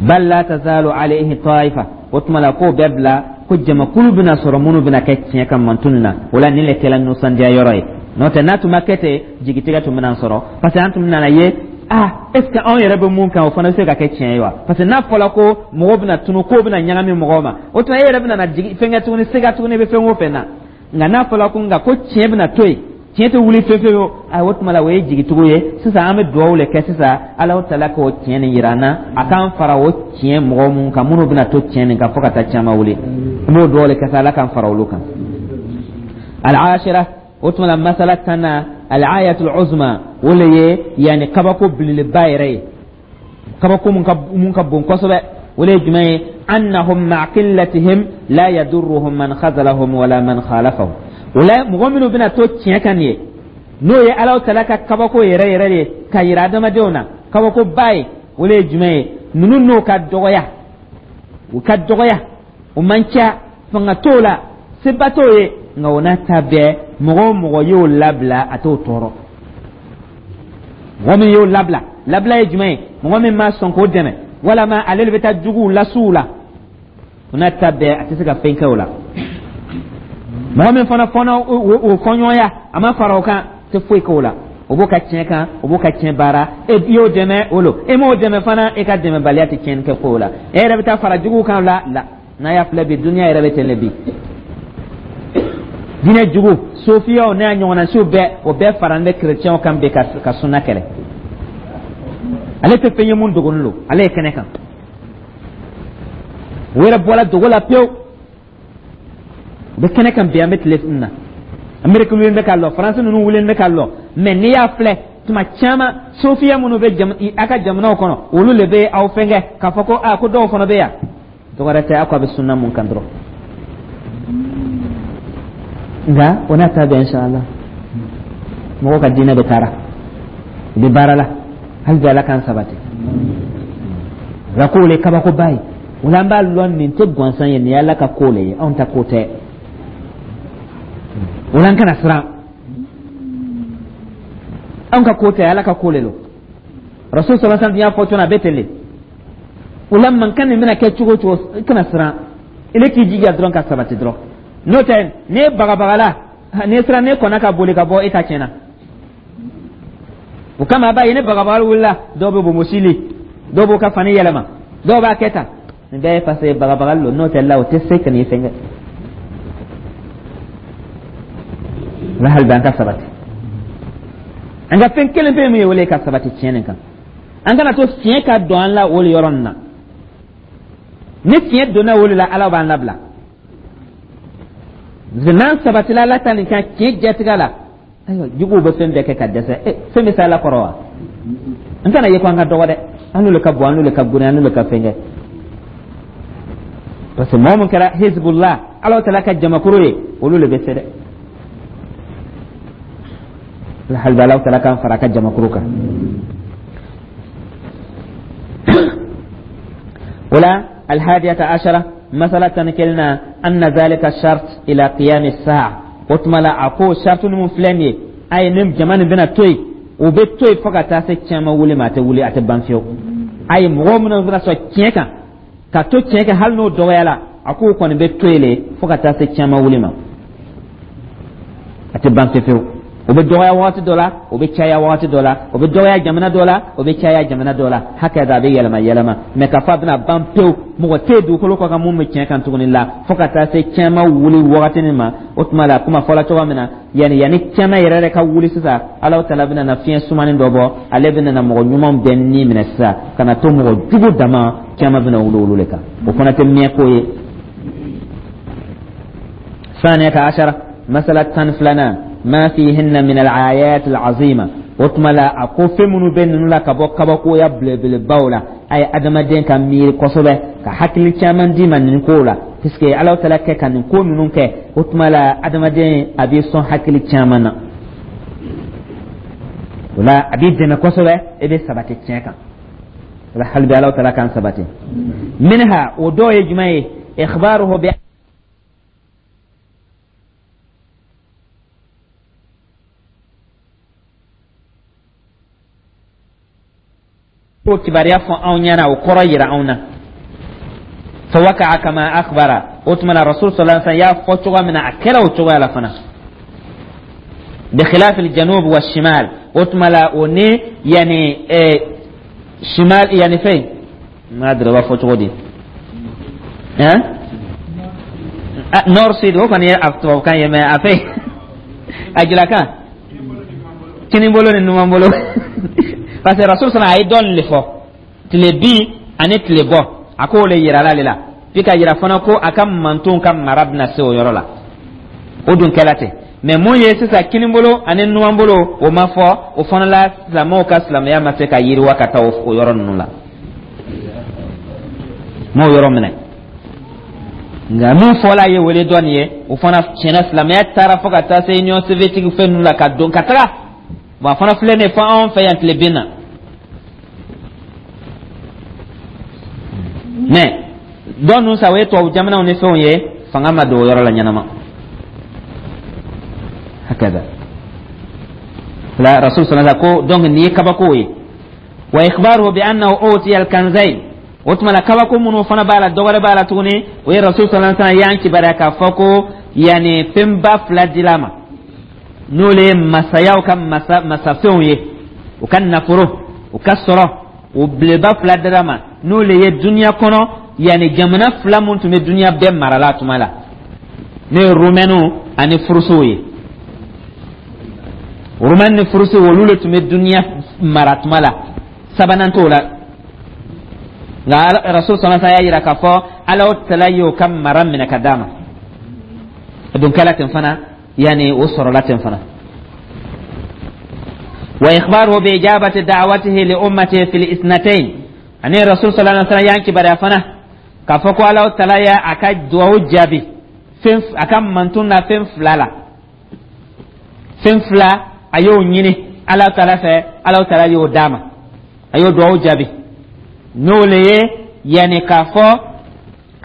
Bal la tazalu alayhi taifa. O tuma la k'o bɛɛ bila ko jamakulu bɛna sɔrɔ minnu bɛna kɛ tiɲɛ kan mantun na. O la nin le kɛla nisɔndiya yɔrɔ ye. N'o tɛ, n'a tun ma kɛ ten, jigitigɛ tun bɛna sɔrɔ, parce que an tun nana ye, ah, est ce que anw yɛrɛ bɛ mun kan, o fana bɛ se ka kɛ tiɲɛ ye wa? Parce que n'a fɔra ko mɔgɔw bɛna tunu, k'o bɛna ɲagami mɔgɔw ma, o tuma e yɛrɛ bɛna na jigi fɛn kɛ tuguni, sega tuguni, i bɛ fɛn o fɛn na. Nka n'a fɔra ko nka ko tiɲɛ bɛna to yen, tiɲɛ tɛ wuli fewu fewu, ayi, o tuma la o ye jigitugu ye. Sisan an bɛ dugawu le kɛ sisan, Alahu taala k'o tiɲɛ nin yira an na, a k'an fara o tiɲɛ mɔgɔ mun kan, minnu bɛna to tiɲɛ nin kan fo ka taa caman wuli. An b'o dugawu le kɛ sa, Ala k'an fara olu kan. Al-ashira, o tuma la masala tanna, al-ayatul uzma, o le ye yanni kabako belebeleba yɛrɛ ye, kabako mun ka mun ka bon kosɛbɛ. O le ye jumɛn ye? Annahum ma'a qillatihim la yadurruhum man khazalahum wala man khalafahum. O la mɔgɔ minnu bɛna to tiɲɛ kan nin ye, n'o ye Alahu taala ka kabako yɛrɛ yɛrɛ ye ka yira adamadenw na, kabakoba ye, o le ye jumɛn ye? Ninnu n'o ka dɔgɔya, u ka dɔgɔya, u man ca, fanga t'o la, seba t'o ye, nka o n'a ta bɛɛ, mɔgɔ o mɔgɔ y'o labila, a t'o tɔɔrɔ. Mɔgɔ min y'o labila, labila ye jumɛn ye? Mɔgɔ min ma sɔn k'o dɛmɛ, walama ale de bɛ taa juguw lasuw la, o n'a ta bɛɛ, a tɛ se ka fɛn kɛ o la. Mɔgɔ min fana fɔnɔ o fɔɲɔgɔnya, a ma fara o kan, tɛ foyi k'o la. O b'o ka tiɲɛ kan, o b'o ka tiɲɛ baara. E y'o dɛmɛ, o lo. E m'o dɛmɛ fana, e ka dɛmɛbaliya tɛ tiɲɛni kɛ ko la. E yɛrɛ bɛ taa fara juguw kan la la. N'a y'a filɛ bi, duniya yɛrɛ bɛ ten de bi. Diinɛ jugu sofiyaw n'a ɲɔgɔnnasiw bɛɛ, o bɛɛ faralen bɛ kerecɛnw kan bi ka ka sunna kɛlɛ. Ale tɛ fɛn ye mun dogolen don, ale ye kɛnɛ kan. O yɛrɛ bɔra dogo la pewu, u bɛ kɛnɛ kan bi. An bɛ tile na, Ameriki wulilen bɛ ka lɔ, Faransi ninnu wulilen bɛ ka lɔ. Mɛ n'i y'a filɛ, tuma caman sofiya minnu bɛ jam a ka jamanaw kɔnɔ, olu le bɛ aw fɛnkɛ k'a fɔ ko aa, ko dɔw fana bɛ yan. Dɔwɛrɛ tɛ, aw ko a bɛ sunna mun kan dɔrɔn. Nka o n'a ta bɛɛ, inshallah, mɔgɔw ka diinɛ bɛ taara, u bɛ baara la hali bi, Ala k'an sabati. Nka k'o le kabakoba ye. O la an b'a lɔn nin tɛ gansan ye, nin ye Ala ka ko le ye, anw ta ko tɛ. O la an kana siran, anw ka ko tɛ, Ala ka ko le lo. Rasul sallallahu alaihi wasallam y'a fɔ cogo min, a bɛ ten de. O la mankan nin bɛna kɛ cogo o cogo, i kana siran, ile k'i jija dɔrɔn ka sabati dɔrɔn. N'o tɛ, n'e bagabagala, n'e siran, n'e kɔnna ka boli ka bɔ, e ta tiɲɛna. O kama a b'a ye ni bagabagali wulila, dɔw bɛ bonbonsili, dɔw b'u ka fani yɛlɛma, dɔw b'a kɛ tan. Nin bɛɛ ye parce que bagabagali don. N'o tɛ la, o tɛ se ka n'i fɛn kɛ la. Hali bi an ka sabati, an ka fɛn kelen pe min ye, o le ka sabati tiɲɛ nin kan. An kana to fiɲɛ ka don an la o yɔrɔ nin na. Ni fiɲɛ donna o la, Ala b'an labila. N'an sabatila Ala ta nin kan tiɲɛ jatigɛ la, ayiwa, juguw bɛ fɛn bɛɛ kɛ ka dɛsɛ. E fɛn bɛ se Ala kɔrɔ wa? N kana ye ko an ka dɔgɔ dɛ, an n'olu ka bon, an n'olu ka goni, an n'olu ka fɛn kɛ, parce que mɔgɔ min kɛra Hezbollah, Ala taala ka jamakuru ye, olu le bɛ se dɛ. Hali bi Ala taala k'an fara a ka jamakuru kan. O la alhadiyata ashara, masala tan kelenna, anna zalika shart ila qiyam as-sa'a. O tuma la a ko shartu min filɛ nin ye, a ye ni jama nin bɛna to yen, o bɛ to yen fo ka taa se cɛma wuli ma, a tɛ wuli, a tɛ ban fiyewu. A ye mɔgɔ minnu bɛna sɔn tiɲɛ kan ka to tiɲɛ kan, hali n'o dɔgɔyala, a k'o kɔni bɛ to yen le fo ka taa se cɛma wuli ma, a tɛ ban fiyewu. O bɛ dɔgɔya wagati dɔ la, o bɛ caya wagati dɔ la, o bɛ dɔgɔya jamana dɔ la, o bɛ caya jamana dɔ la, hakɛ a bɛ yɛlɛma yɛlɛma. Mɛ k'a fɔ a bɛna ban pewu, mɔgɔ tɛ yen dugukolo kɔ kan mun bɛ tiɲɛ kan tuguni la, fo ka taa se cɛma wuli wagati min ma. O tuma la, kuma fɔla cogo min na, yanni yanni cɛma yɛrɛ yɛrɛ ka wuli sisan, Alahu taala bɛna na fiɲɛ sumanin dɔ bɔ, ale bɛna na mɔgɔ ɲumanw bɛɛ ni minɛ sisan ka na to mɔgɔ jugu dama. Cɛma bɛna wuli olu de kan, o fana tɛ mɛn ko ye. Saniyata ashara, masala tan filanan, ما فيهن من الآيات العظيمة. O tuma la, a ko fɛn minnu bɛ ninnu la ka bɔ kabakoya belebelebaw la, a ye adamaden ka miiri kosɛbɛ, ka hakili caman d'i ma nin kow la, puisque Ala taala kɛ ka nin ko ninnu kɛ. O tuma la, adamaden a b'i sɔn hakili caman na, o la a b'i dɛmɛ kosɛbɛ, e bɛ sabati tiɲɛ kan. O la hali bi Ala taala k'an sabati. Minha, o dɔw ye jumɛn ye? Ikhbaruhu bi ko kibaruya fɔ anw ɲɛna, o kɔrɔ yira anw na. Fawaka'a kama akhbara. O tuma na, Rasul sallallahu alaihi wasallam y'a fɔ cogoya min na, a kɛra o cogoya la fana. Bi khilaf al-janub wa shimal. O tuma la, o ni yani eh, shimal, yani fɛn ma dɔrɔn b'a fɔ cogo di, hein, nord sud, o kɔni ye a tubabukan ye, mais a fɛn a julakan, kini bolo ni numan bolo, parce que Rasul sallallahu a ye dɔɔnin de fɔ, tile bin ani tile bɔ, a k'o le yira l'ale la, puis ka yira fana ko a ka mantonw ka mara bɛna se o yɔrɔ la. O dun kɛla ten. Mais mun ye sisan, kinibolo ani numanbolo, o ma fɔ. O fana la, silamɛw ka silamɛya ma se ka yiriwa ka taa o yɔrɔ ninnu la, m'o yɔrɔ minɛ. Nka mun fɔla ye wele dɔ nin ye, o fana tiɲɛna, silamɛya taara fo ka taa se Union soviétique fɛn ninnu la, ka don ka taga. Bon, a fana filɛ nin ye fo anw fɛ yan tilebin na. Mais dɔw ninnu sa, o ye tubabu jamanaw ni fɛnw ye, fanga ma don o yɔrɔ la ɲɛnama. Hakaza la Rasul sallallahu alaihi ko. Donc nin ye kabako ye. Wa ikhbaruhu bi annahu utiya al-kanzayn. O tuma la, kabako minnu fana b'a la, dɔ wɛrɛ b'a la tuguni, o ye Rasul sallallahu alaihi wasallam y'an kibaruya k'a fɔ ko yanni fɛnba fila dila ma, n'olu ye masayaw ka masa masafɛnw ye, u ka nafolo, u ka sɔrɔ, o beleba fila dira ma, n'olu ye duniya kɔnɔ yanni jamana fila mun tun bɛ duniya bɛɛ marala tuma la, n'o ye Rumɛniw ani Furusiw ye. Rumɛni ni Furusiw, olu de tun bɛ duniya mara tuma la, sabanan t'o la. Nka Rasul sallallahu alaihi wasallam y'a yira k'a fɔ Ala tala y'o ka mara minɛ ka d'a ma. A dun kɛla ten fana, yani o sɔrɔla ten fana. Wa ikhbaruhu bi ijabati da'watihi li ummatihi fil isnatayn. Ani Rasul sallallahu alaihi wasallam y'an kibaruya fana k'a fɔ ko Ala tala y'a a ka duwawu jaabi fɛn a ka mantun na fɛn fila la. Fɛn fila a y'o ɲini Ala tala fɛ, Ala tala y'o d'a ma, a y'o duwawu jaabi. N'o le ye yanni k'a fɔ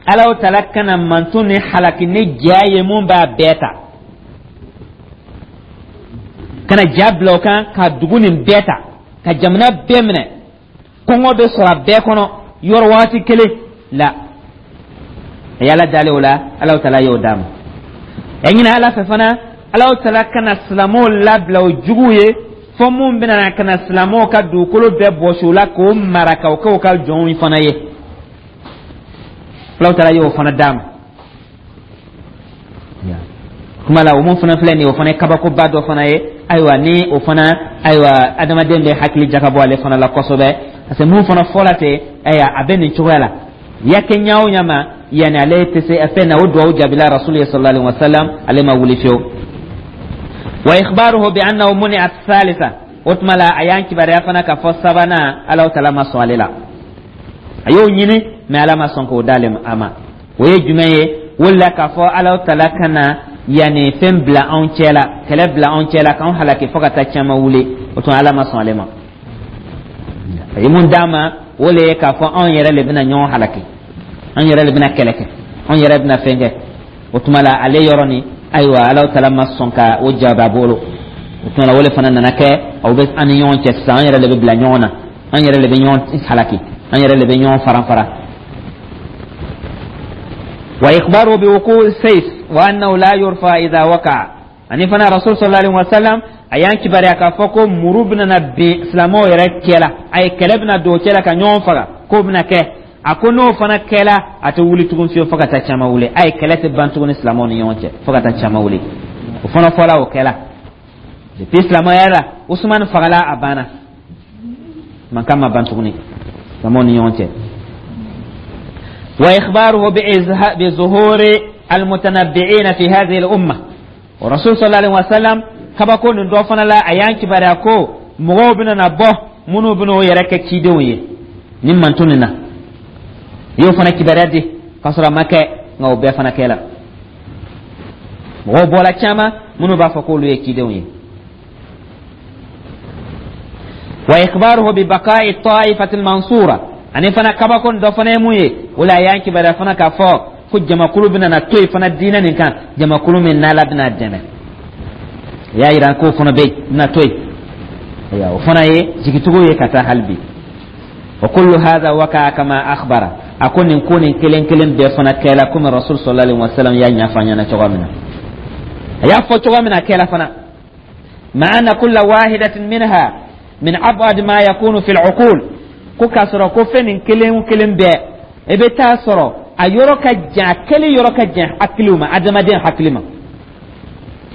Ala tala kana mantun ni halaki ni ja ye mun b'a bɛɛ ta, kana ja bila o kan ka dugu nin bɛɛ ta, ka jamana bɛɛ minɛ, kɔngɔ bɛ sɔrɔ a bɛɛ kɔnɔ yɔrɔ waati kelen la. A ye Ala dalen o la, Ala tala y'o d'a ma. A ɲini Ala fɛ fana, Ala tala kana silamɛw labila o juguw ye, fɔ mun bɛna na ka na silamɛw ka dugukolo bɛɛ bɔsi u la k'o mara k'o kɛ u ka jɔnw fana ye. Ala tala y'o fana d'a ma. Kuma la, o mun fana filɛ nin ye, o fana ye kabakoba dɔ fana ye. Ayiwa, ni o fana, ayiwa, adamaden bɛ hakili jakabɔ ale fana la kosɛbɛ, parce que mun fana fɔla ten, ayiwa, a bɛ nin cogoya la, ya kɛ ɲa o ɲa ma, yanni ale tɛ se fɛn na, o duwawu jaabila Rasul ye sallallahu alaihi wasallam, ale ma wuli fiyewu. Wa ikhbaruhu bi annahu muni'a thalitha. O tuma la, a y'an kibaruya fana k'a fɔ sabanan, Ala tala ma sɔn ale la. A y'o ɲini, mais Ala ma sɔn k'o d'ale a ma. O ye jumɛn ye? O la k'a fɔ Ala tala kana yanni fɛn bila anw cɛ la, kɛlɛ bila anw cɛ la, k'anw halaki fo ka taa caman wuli. O tuma Ala ma sɔn ale ma. A ye mun d'a ma? O le ye k'a fɔ anw yɛrɛ le bɛna ɲɔgɔn halaki, anw yɛrɛ le bɛna kɛlɛ kɛ, anw yɛrɛ bɛna fɛn kɛ. O tuma la, ale yɔrɔ nin, ayiwa, Ala tala ma sɔn ka o jaabi a bolo. O tuma la, o le fana nana kɛ aw bɛ an ni ɲɔgɔn cɛ sisan, an yɛrɛ le bɛ bila ɲɔgɔn na, an yɛrɛ le bɛ ɲɔgɔn halaki, an yɛrɛ le bɛ ɲɔgɔn faran fara. Wa ikhbaru bi wuqu sayf wa annahu la yurfa idha waqa'a. Ani fana Rasul sallallahu alaihi wasallam a y'an kibaruya k'a fɔ ko muru bɛna na bin silamɛw yɛrɛ cɛ la, a ye kɛlɛ bɛna don o cɛ la ka ɲɔgɔn faga, k'o bɛna kɛ. A ko n'o fana kɛla, a tɛ wuli tugun fiyewu fo ka taa caman wuli. A ye kɛlɛ tɛ ban tuguni silamɛw ni ɲɔgɔn cɛ fo ka taa caman wuli. O fana fɔla, o kɛla. Depuis silamɛya la, Usumani fagala, a banna, mankan ma ban tuguni silamɛw ni ɲɔgɔn cɛ. Wa ikhbaruhu bi zuhuri almutanabbi'ina fi hadhihi al-umma. Wa Rasul sallallahu alaihi wasallam kabako nin dɔ fana la, a y'an kibaruya ko Mɔgɔw bɛna na bɔ minnu bɛna o yɛrɛ kɛ cidenw ye nin mantun nin na. I y'o fana kibaruya di k'a sɔrɔ a ma kɛ, nka o bɛɛ fana kɛla. Mɔgɔw bɔra caman minnu b'a fɔ k'olu ye cidenw ye. Wa ikhbaruhu bi baqa'i ta'ifati al-mansura, ani fana kabako dɔ fana ye mun ye? O la a y'an kibaruya fana k'a fɔ ko jamakulu bɛna na to yen fana diinɛ nin kan, jamakulu min n'Ala bɛna dɛmɛ. O y'a yira k'o fana bɛ yen, bɛna to yen. Ayiwa, o fana ye jigitigiw ye ka taa hali bi. Wa kullu hadha waqa'a kama akhbara, a ko nin ko nin kelen kelen bɛɛ fana kɛla komi Rasul sallallahu alaihi wasallam y'a ɲɛfɔ an ɲɛna cogo min na, a y'a fɔ cogo min na, a kɛla fana. Ma anna kulla wahidatin minha min ab'ad ma yakunu fil uqul, ko k'a sɔrɔ ko fɛn nin kelen kelen bɛɛ, i bɛ taa sɔrɔ a yɔrɔ ka jan, a kɛli yɔrɔ ka jan hakiliw ma, adamaden hakili ma.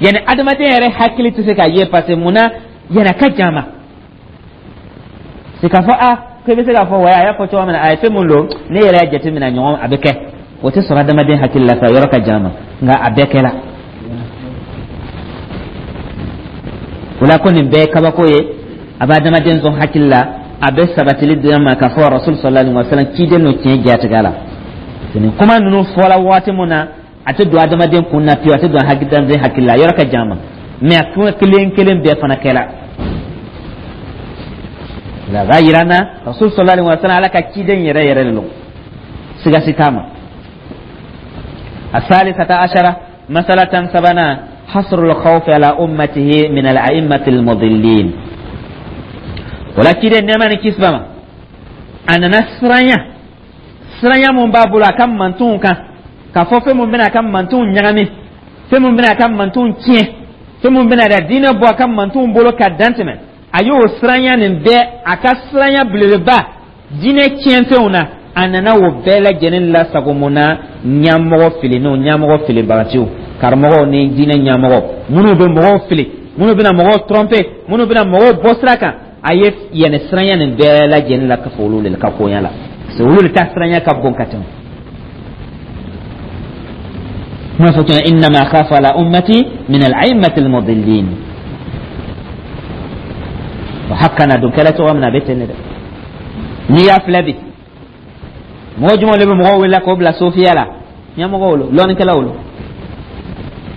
Yani adamaden yɛrɛ hakili tɛ se k'a ye, parce que mun na? Yani a ka jan ma se k'a fɔ a ko i bɛ se k'a fɔ wa a y'a fɔ cogo min na, a ye fɛn mun don, ne yɛrɛ y'a jateminɛ ɲɔgɔn a bɛ kɛ, o tɛ sɔrɔ adamaden hakili la sa, yɔrɔ ka jan ma, nka a bɛɛ kɛla. O la ko nin bɛɛ ye kabako ye, a bɛ adamaden sɔn hakili la, a bɛ sabatili di ma k'a fɔ Rasul sallallahu alaihi wa sallam ciden n'o tiɲɛ jatigɛ la. Nin kuma ninnu fɔla waati mun na, a tɛ don adamaden kun na pewu, a tɛ don adamaden hakili la, yɔrɔ ka jan ma, mɛ a kuma kelen kelen bɛɛ fana kɛla. La b'a yira na Rasul sallallahu alaihi wa sallam Ala ka ciden yɛrɛ yɛrɛ de don, siga si t'a ma. الثالثة عشرة مسألة سبنا حصر الخوف على أمته من الأئمة المضلين. ولكن نعمة كسبما أنا نسرانيا siranya mun b'a bolo a ka mantonw kan, k'a fɔ fɛn mun bɛna a ka mantonw ɲagami, fɛn mun bɛna a ka mantonw tiɲɛ, fɛn mun bɛna da diinɛ bɔ a ka mantonw bolo ka dan tɛmɛ, a y'o siranya nin bɛɛ, a ka siranya belebeleba diinɛ tiɲɛfɛnw na, a nana o bɛɛ lajɛlen lasago. Mun na? Ɲɛmɔgɔ filinenw, ɲɛmɔgɔ filibagaciw, karamɔgɔw ni diinɛ ɲɛmɔgɔ minnu bɛ mɔgɔw fili, minnu bɛna mɔgɔw tromper, minnu bɛna mɔgɔw bɔ sira kan, a ye yɛnɛ siranya nin bɛɛ lajɛlen la ka fɔ olu de ka koɲa la, parce que olu de ta siranya ka bon ka tɛmɛ. Kuma fɔ tuma innama khafa ala ummati min al-a'immati al-mudillin. O hakka na don kɛla cogo min na, a bɛ ten de dɛ. N'i y'a filɛ bi, mɔgɔ jumɛn de bɛ mɔgɔw wele k'o bila sofiya la? Ɲɛmɔgɔw lo, lɔnnikɛlaw lo.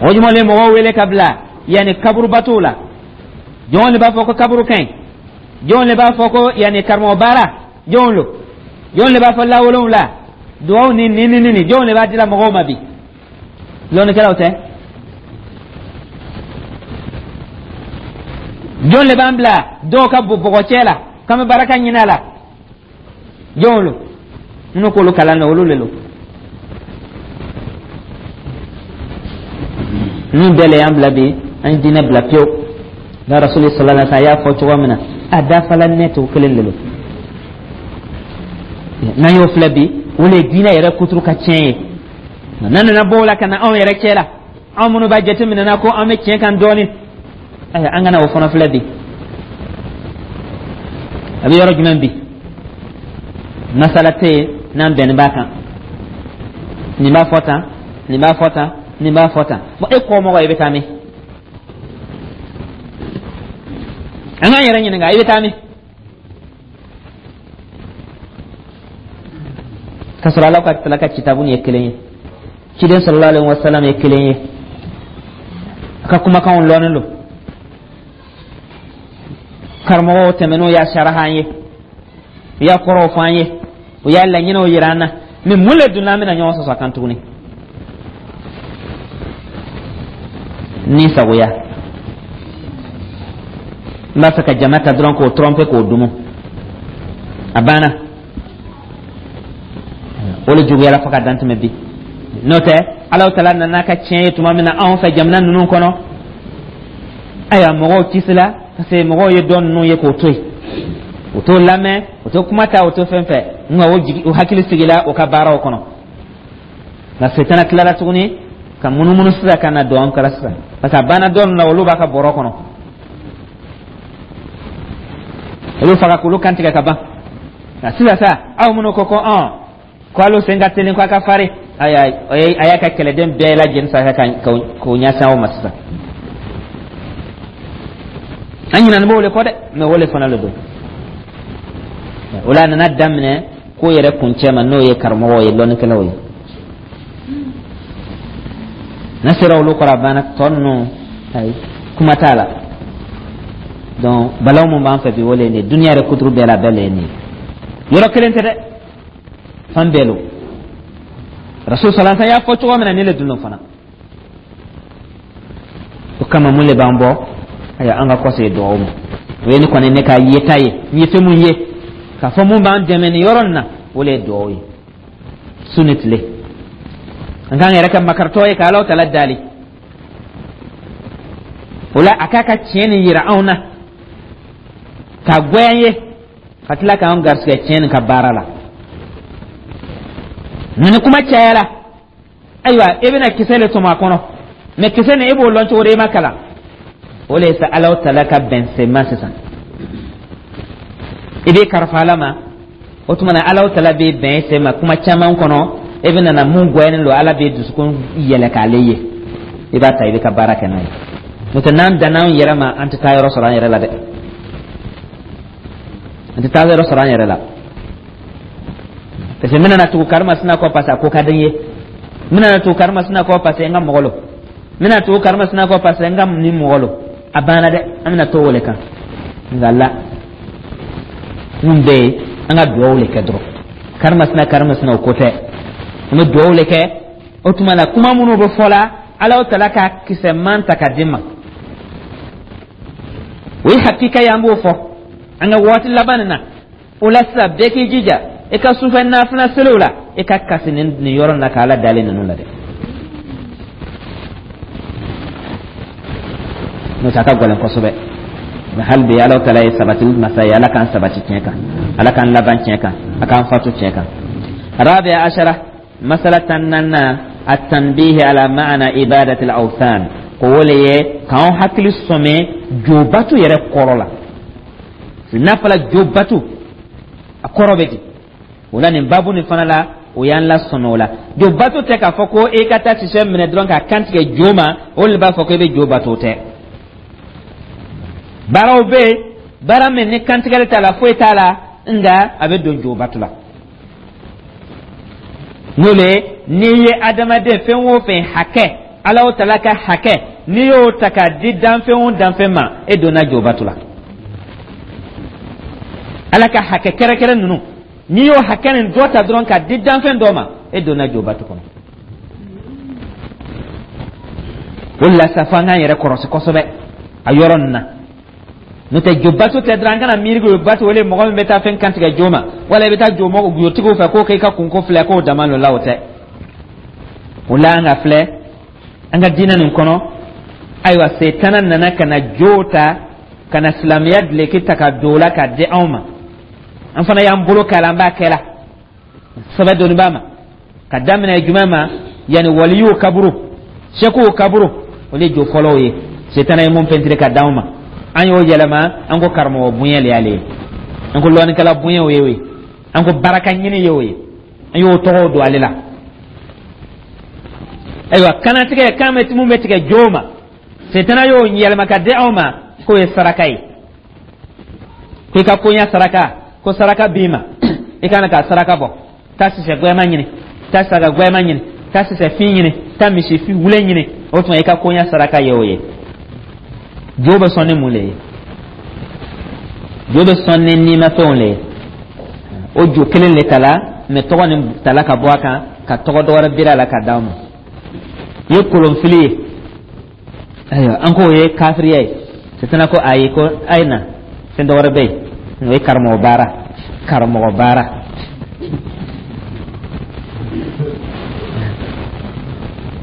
Mɔgɔ jumɛn de bɛ mɔgɔw wele ka bila yanni kaburubatow la? Jɔn de b'a fɔ ko kaburu ka ɲi? Jɔn de b'a fɔ ko yanni karamɔgɔ baara? Jɔn lo? Jɔn de b'a fɔ lawolonwula duwawu ni ni ni ni? Jɔn de b'a dila mɔgɔw ma bi? Lɔnnikɛlaw tɛ? Jɔn de b'an bila dɔw ka bɔgɔcɛ la k'an bɛ baraka ɲini a la? Jɔn lo? Minnu k'olu kalan na, olu le lo. Ninnu bɛɛ le y'an bila bi, an ye diinɛ bila pewu. Nka Rasuli sallallahu alaihi wa sallam a y'a fɔ cogo min na, a dafala ne t'o kelen de lo. N'an y'o filɛ bi, o le ye diinɛ yɛrɛ kuturu ka tiɲɛ ye. N'an nana bɔ o la ka na anw yɛrɛ cɛ la, anw minnu b'a jateminɛ na ko an bɛ tiɲɛ kan dɔɔnin, ayiwa, an kana o fana filɛ bi. A bɛ yɔrɔ jumɛn bi? Masala tɛ yen n'an bɛnnen b'a kan. Nin b'a fɔ tan, nin b'a fɔ tan, nin b'a fɔ tan. Bon, e kɔmɔgɔ, i bɛ taa min? An k'an yɛrɛ ɲininka, i bɛ taa min? Ka sɔrɔ Ala ka tala ka kitabu ye kelen ye, ciden sallallahu alaihi wa sallam ye kelen ye, a ka kumakanw lɔnnen don, karamɔgɔw tɛmɛn'o y'a saraha an ye, u y'a kɔrɔw fɔ an ye, u y'a laɲiniw yira an na. Mɛ mun le donna an bɛna ɲɔgɔn sɔsɔ a kan tuguni? Ni sagoya n b'a fɛ ka jama ta dɔrɔn k'o tromper k'o dumu, a banna. O le juguyara fo ka dan tɛmɛ bi. N'o tɛ, Alahu taala nana ka tiɲɛ ye tuma min na anw fɛ jamana ninnu kɔnɔ, ayiwa, mɔgɔw kisila, parce que mɔgɔw ye dɔ ninnu ye k'o to yen, o t'o lamɛn, o t'o kuma ta, o t'o fɛn fɛn, nka o jigi, o hakili sigila o ka baaraw kɔnɔ. Nka setana tilara tuguni ka munumunu sisan ka na don an kɛra sisan, parce que a banna dɔ ninnu na, olu b'a ka bɔrɔ kɔnɔ, olu faga k'olu kantigɛ ka ban. Nka sisan sa, aw minnu ko ko ɔn ko alo sen ka teli, ko a ka farin, ayi, a y'a ka kɛlɛden bɛɛ lajɛlen sa k'o ɲɛsin aw ma sisan. An ɲinani b'o le kɔ dɛ, mais o le fana le don. O la a nana daminɛ ko yɛrɛ kuncɛ ma, n'o ye karamɔgɔw ye, lɔnnikɛlaw ye. N'a sera olu kɔrɔ, a banna. Tɔ ninnu, ayi, kuma t'a la. Donc balaw mun b'an fɛ bi, o le ye nin ye. Duniya yɛrɛ kuturu bɛɛ la, a bɛɛ le ye nin ye. Yɔrɔ kelen tɛ dɛ, fan bɛɛ lo. Rasul sallallahu alaihi y'a fɔ cogo min na, ni le dun fana. O kama, mun le b'an bɔ? Ayiwa, an ka kɔsegin dugawu ma. O ye ne kɔni ne ka yeta ye. N ye fɛn mun ye k'a fɔ mun b'an dɛmɛ nin yɔrɔ nin na, o le ye dugawu ye su ni tile. An k'an yɛrɛ kɛ makaritɔ ye ka Alahu Taala dali. O la, a k'a ka tiɲɛ nin yira anw na k'a goya an ye, ka tila k'an garisigɛ tiɲɛ nin ka baara la. Nka ni kuma cayara, ayiwa, e bɛna kisɛ le tɔmɔ a kɔnɔ. Mais kisɛ nin, e b'o lɔn cogo di? E ma kalan. O le ye sa Alahu Taala ka bɛnsenma sisan. I b'i karifa Ala ma. O tuma na, Alahu Taala b'i bɛn i sen ma kuma caman kɔnɔ. E bɛna na mun goyanen don, Ala b'i dusukun yɛlɛ k'ale ye. I b'a ta, i bɛ ka baara kɛ n'a ye. N'o tɛ, n'an danna an yɛrɛ ma, an tɛ taa yɔrɔ sɔrɔ an yɛrɛ la dɛ, an tɛ taa yɔrɔ sɔrɔ an yɛrɛ la. Parce que n bɛna na tugu karimasina kɔ parce que a ko ka di n ye. N bɛna na tugu karimasina kɔ parce que n ka mɔgɔ lo. N bɛna tugu karimasina kɔ parce que n ka nin mɔgɔ lo. A banna dɛ, an bɛna to o le kan. Nka la, mun bɛ yen? An ka dugawu le kɛ dɔrɔn. Karimasina, karimasina, o ko tɛ. An bɛ dugawu le kɛ. O tuma na, kuma minnu bɛ fɔ la, Alahu Taala ka kisɛman ta ka di ma, o ye hakika ye. An b'o fɔ an ka waati laban nin na. O la sisan, bɛɛ k'i jija i ka sufɛ nafila seliw la, i ka kasi nin nin yɔrɔ nin na k'Ala dalen ninnu la dɛ. N'o tɛ, a ka gɛlɛn kosɛbɛ. Mais hali bi, Ala Taala ye sabati masa ye. Ala k'an sabati tiɲɛ kan, Ala k'an laban tiɲɛ kan, a k'an fatu tiɲɛ kan. رابع عشرة masala tan naaninan, التنبيه على معنى عبادة الأوثان. Ko o le ye k'anw hakili sɔmɛ jobatu yɛrɛ kɔrɔ la. N'a fɔla jobatu, a kɔrɔ bɛ di? O la, nin babu nin fana la, o y'an lasɔmɛ o la. Jobatu tɛ k'a fɔ ko e ka taa sisɛ minɛ dɔrɔn k'a kantigɛ jo ma, o de b'a fɔ ko e bɛ jo bato. O tɛ. Baaraw bɛ yen, baara min ni kantigɛli t'a la, foyi t'a la, nka a bɛ don jobatu la. N'o le ye, n'i ye adamaden fɛn o fɛn hakɛ, Ala o Tala ka hakɛ, n'i y'o ta k'a di danfɛn o danfɛn ma, e donna jobatu la. Ala ka hakɛ kɛrɛkɛrɛ ninnu, n'i y'o hakɛ nin dɔ ta dɔrɔn k'a di danfɛn dɔ ma, e donna jobatu kɔnɔ. O de la sa, fo an k'an yɛrɛ kɔlɔsi kosɛbɛ a yɔrɔ nin na. N'o tɛ, jobatu tɛ dɔrɔn an kana miiri ko batu wele mɔgɔ min bɛ taa fɛn kantigɛ jo ma, wala i bɛ taa jo jotigiw fɛ k'o k'i ka kunko filɛ, k'o dama lo la. O tɛ. O la, an ka filɛ an ka diinɛ nin kɔnɔ. Ayiwa, setana nana ka na jo ta, ka na silamɛya dileki ta ka don o la k'a di anw ma. An fana y'an bolo k'a la, an b'a kɛ la sɛbɛ doni b'a ma. Ka daminɛ jumɛn ma? Yanni waliyuw kaburu, sɛkuw kaburu, olu ye jo fɔlɔw ye. Setana ye mun pɛntiri ka d'anw ma, an y'o yɛlɛma. An ko karamɔgɔ bonya le y'ale ye, an ko lɔnnikɛla bonya o ye o ye, an ko baraka ɲini ye o ye, an y'o tɔgɔw don ale la. Ayiwa, kanatigɛ kan bɛ mun bɛ tigɛ jo ma, setana y'o yɛlɛma ka di anw ma k'o ye saraka ye, ko i ka koɲa saraka, ko saraka b'i ma, i kana ka saraka bɔ. Taa sisɛ gwɛma ɲini, taa saga gwɛma ɲini, taa sisɛ fin ɲini, taa misi wule ɲini. O tuma, i ka koɲa saraka ye o ye. Jo bɛ sɔn ni mun le ye? Jo bɛ sɔn ni nimafɛnw le ye. O jo kelen le tala, mais tɔgɔ nin tala ka bɔ a kan ka tɔgɔ dɔ wɛrɛ biri a la ka d'aw ma. I ye kolonfili ye. Ayiwa, an k'o ye kafiriya ye. Setana ko ayi, ko a ye na, fɛn dɔ wɛrɛ bɛ yen, o ye karamɔgɔ baara, karamɔgɔ baara.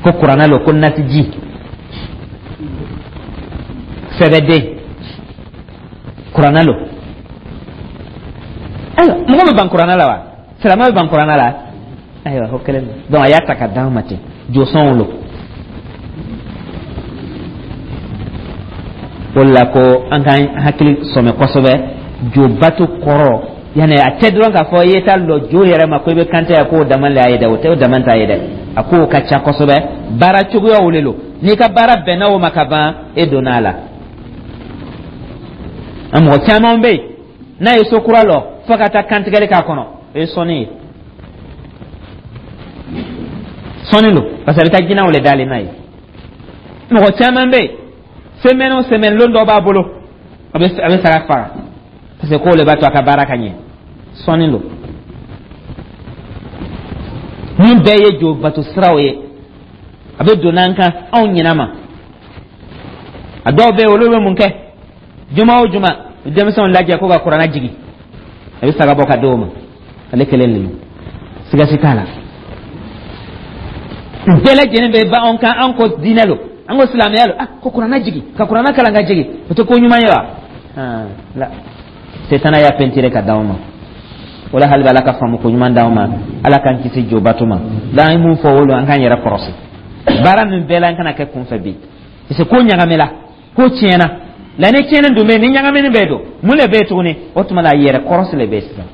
Ko kuranɛ lo, ko nasiji sɛbɛden kuranɛ lo. Ayiwa, mɔgɔ bɛ ban kuranɛ la wa? Silamɛ bɛ ban kuranɛ la? Ayiwa, o kelen don. Donc a y'a ta ka d'an ma ten, josɔnw lo. O de la, ko an k'an hakili sɔmɛ kosɛbɛ jobato kɔrɔ. Yanni a tɛ dɔrɔn k'a fɔ i ye taa lɔ jo yɛrɛ ma ko i bɛ kante ya, k'o dama le y'a ye dɛ. O tɛ, o dama t'a ye dɛ. A k'o ka ca kosɛbɛ, baara cogoyaw le lo. N'i ka baara bɛnna o ma ka ban, e donna a la. An mɔgɔ caman bɛ yen, n'a ye so kura lɔ, fo ka taa kantigɛli k'a kɔnɔ, o ye sɔnni ye, sɔnni don, parce que a bɛ taa jinɛw le dalen n'a ye. Mɔgɔ caman bɛ yen, semaine o semaine, lon dɔ b'a bolo, a bɛ a bɛ saga faga, parce que k'o le b'a to a ka baara ka ɲɛ. Sɔnni don. Nin bɛɛ ye jo bato siraw ye, a bɛ don n'an kan, anw ɲinɛ ma. A dɔw bɛ yen, olu bɛ mun kɛ? Juma o juma, denmisɛnw lajɛ ko ka kuranɛ jigin, a bɛ saga bɔ ka di o ma, ale kelen de don, siga si t'a la. Bɛɛ lajɛlen bɛ ban anw kan, an ko diinɛ lo, an ko silamɛya lo. Ah, ko kuranɛ jigin, ka kuranɛ kalan ka jigin, o tɛ ko ɲuman ye wa? La, setana y'a pɛntire ka d'anw ma. O la, hali Ala ka faamu ko ɲuman d'anw ma, Ala k'an kisi jobato ma. La, an ye mun fɔ o lo, an k'an yɛrɛ kɔrɔsi baara min bɛɛ la, an kana kɛ kunfɛ bi, parce que ko ɲagamila, ko tiɲɛna la. Ni tiɲɛni dun bɛ yen, ni ɲagamini bɛ don, mun le bɛ yen tuguni? O tuma la, yɛrɛ kɔrɔsi le bɛ yen sisan,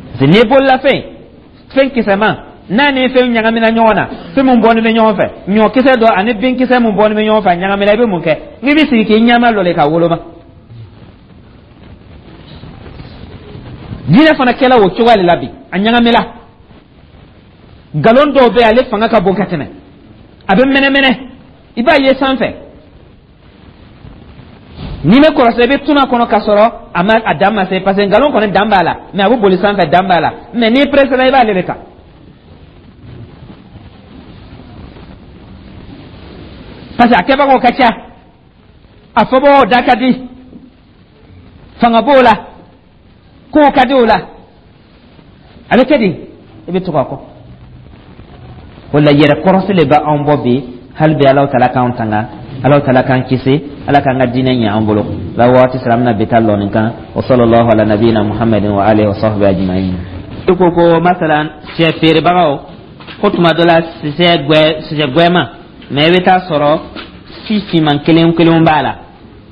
parce que n'i ye bololafɛn, fɛn kisɛman n'a ni fɛn ɲagamina ɲɔgɔn na, fɛn mun bɔlen bɛ ɲɔgɔn fɛ, ɲɔkisɛ dɔ ani binkisɛ mun bɔlen bɛ ɲɔgɔn fɛ, a ɲagamina, i bɛ mun kɛ? N'i bɛ sigi k'i ɲɛma lɔ le ka woloma. Diinɛ fana kɛla o cogoya de la bi, a ɲagamina. Nkalon dɔw bɛ yen, ale fanga ka bon ka tɛmɛ, a bɛ mɛnɛmɛnɛ, i b'a ye sanfɛ. N'i bɛ kɔlɔsi, i bɛ tuna kɔnɔ ka sɔrɔ a ma a dan ma se, parce que nkalon kɔni dan b'a la, mais a bɛ boli sanfɛ, dan b'a la, mais n'i pressé la, i b'ale de ta, parce que a kɛbagaw ka ca, a fɔbagaw da ka di, fanga b'o la, kow ka di o la, a bɛ kɛ di, i bɛ tugu a kɔ. O la, yɛrɛ kɔrɔsi le bɛ anw bɔ bi. Hali bi, Alahu taala k'anw tanga, Alahu taala k'an kisi, Ala k'an ka diinɛ ɲɛ an bolo. La, waati sera, an bɛna bi ta lɔ nin kan. Wa sallallahu ala nabiyina Muhammadin wa alihi wa sahbihi ajma'in. I ko ko masalan, sɛ feerebagaw ko tuma dɔ la, sɛ gwɛ, sɛ gwɛma, mais i bɛ taa sɔrɔ si finman kelen kelenw b'a la,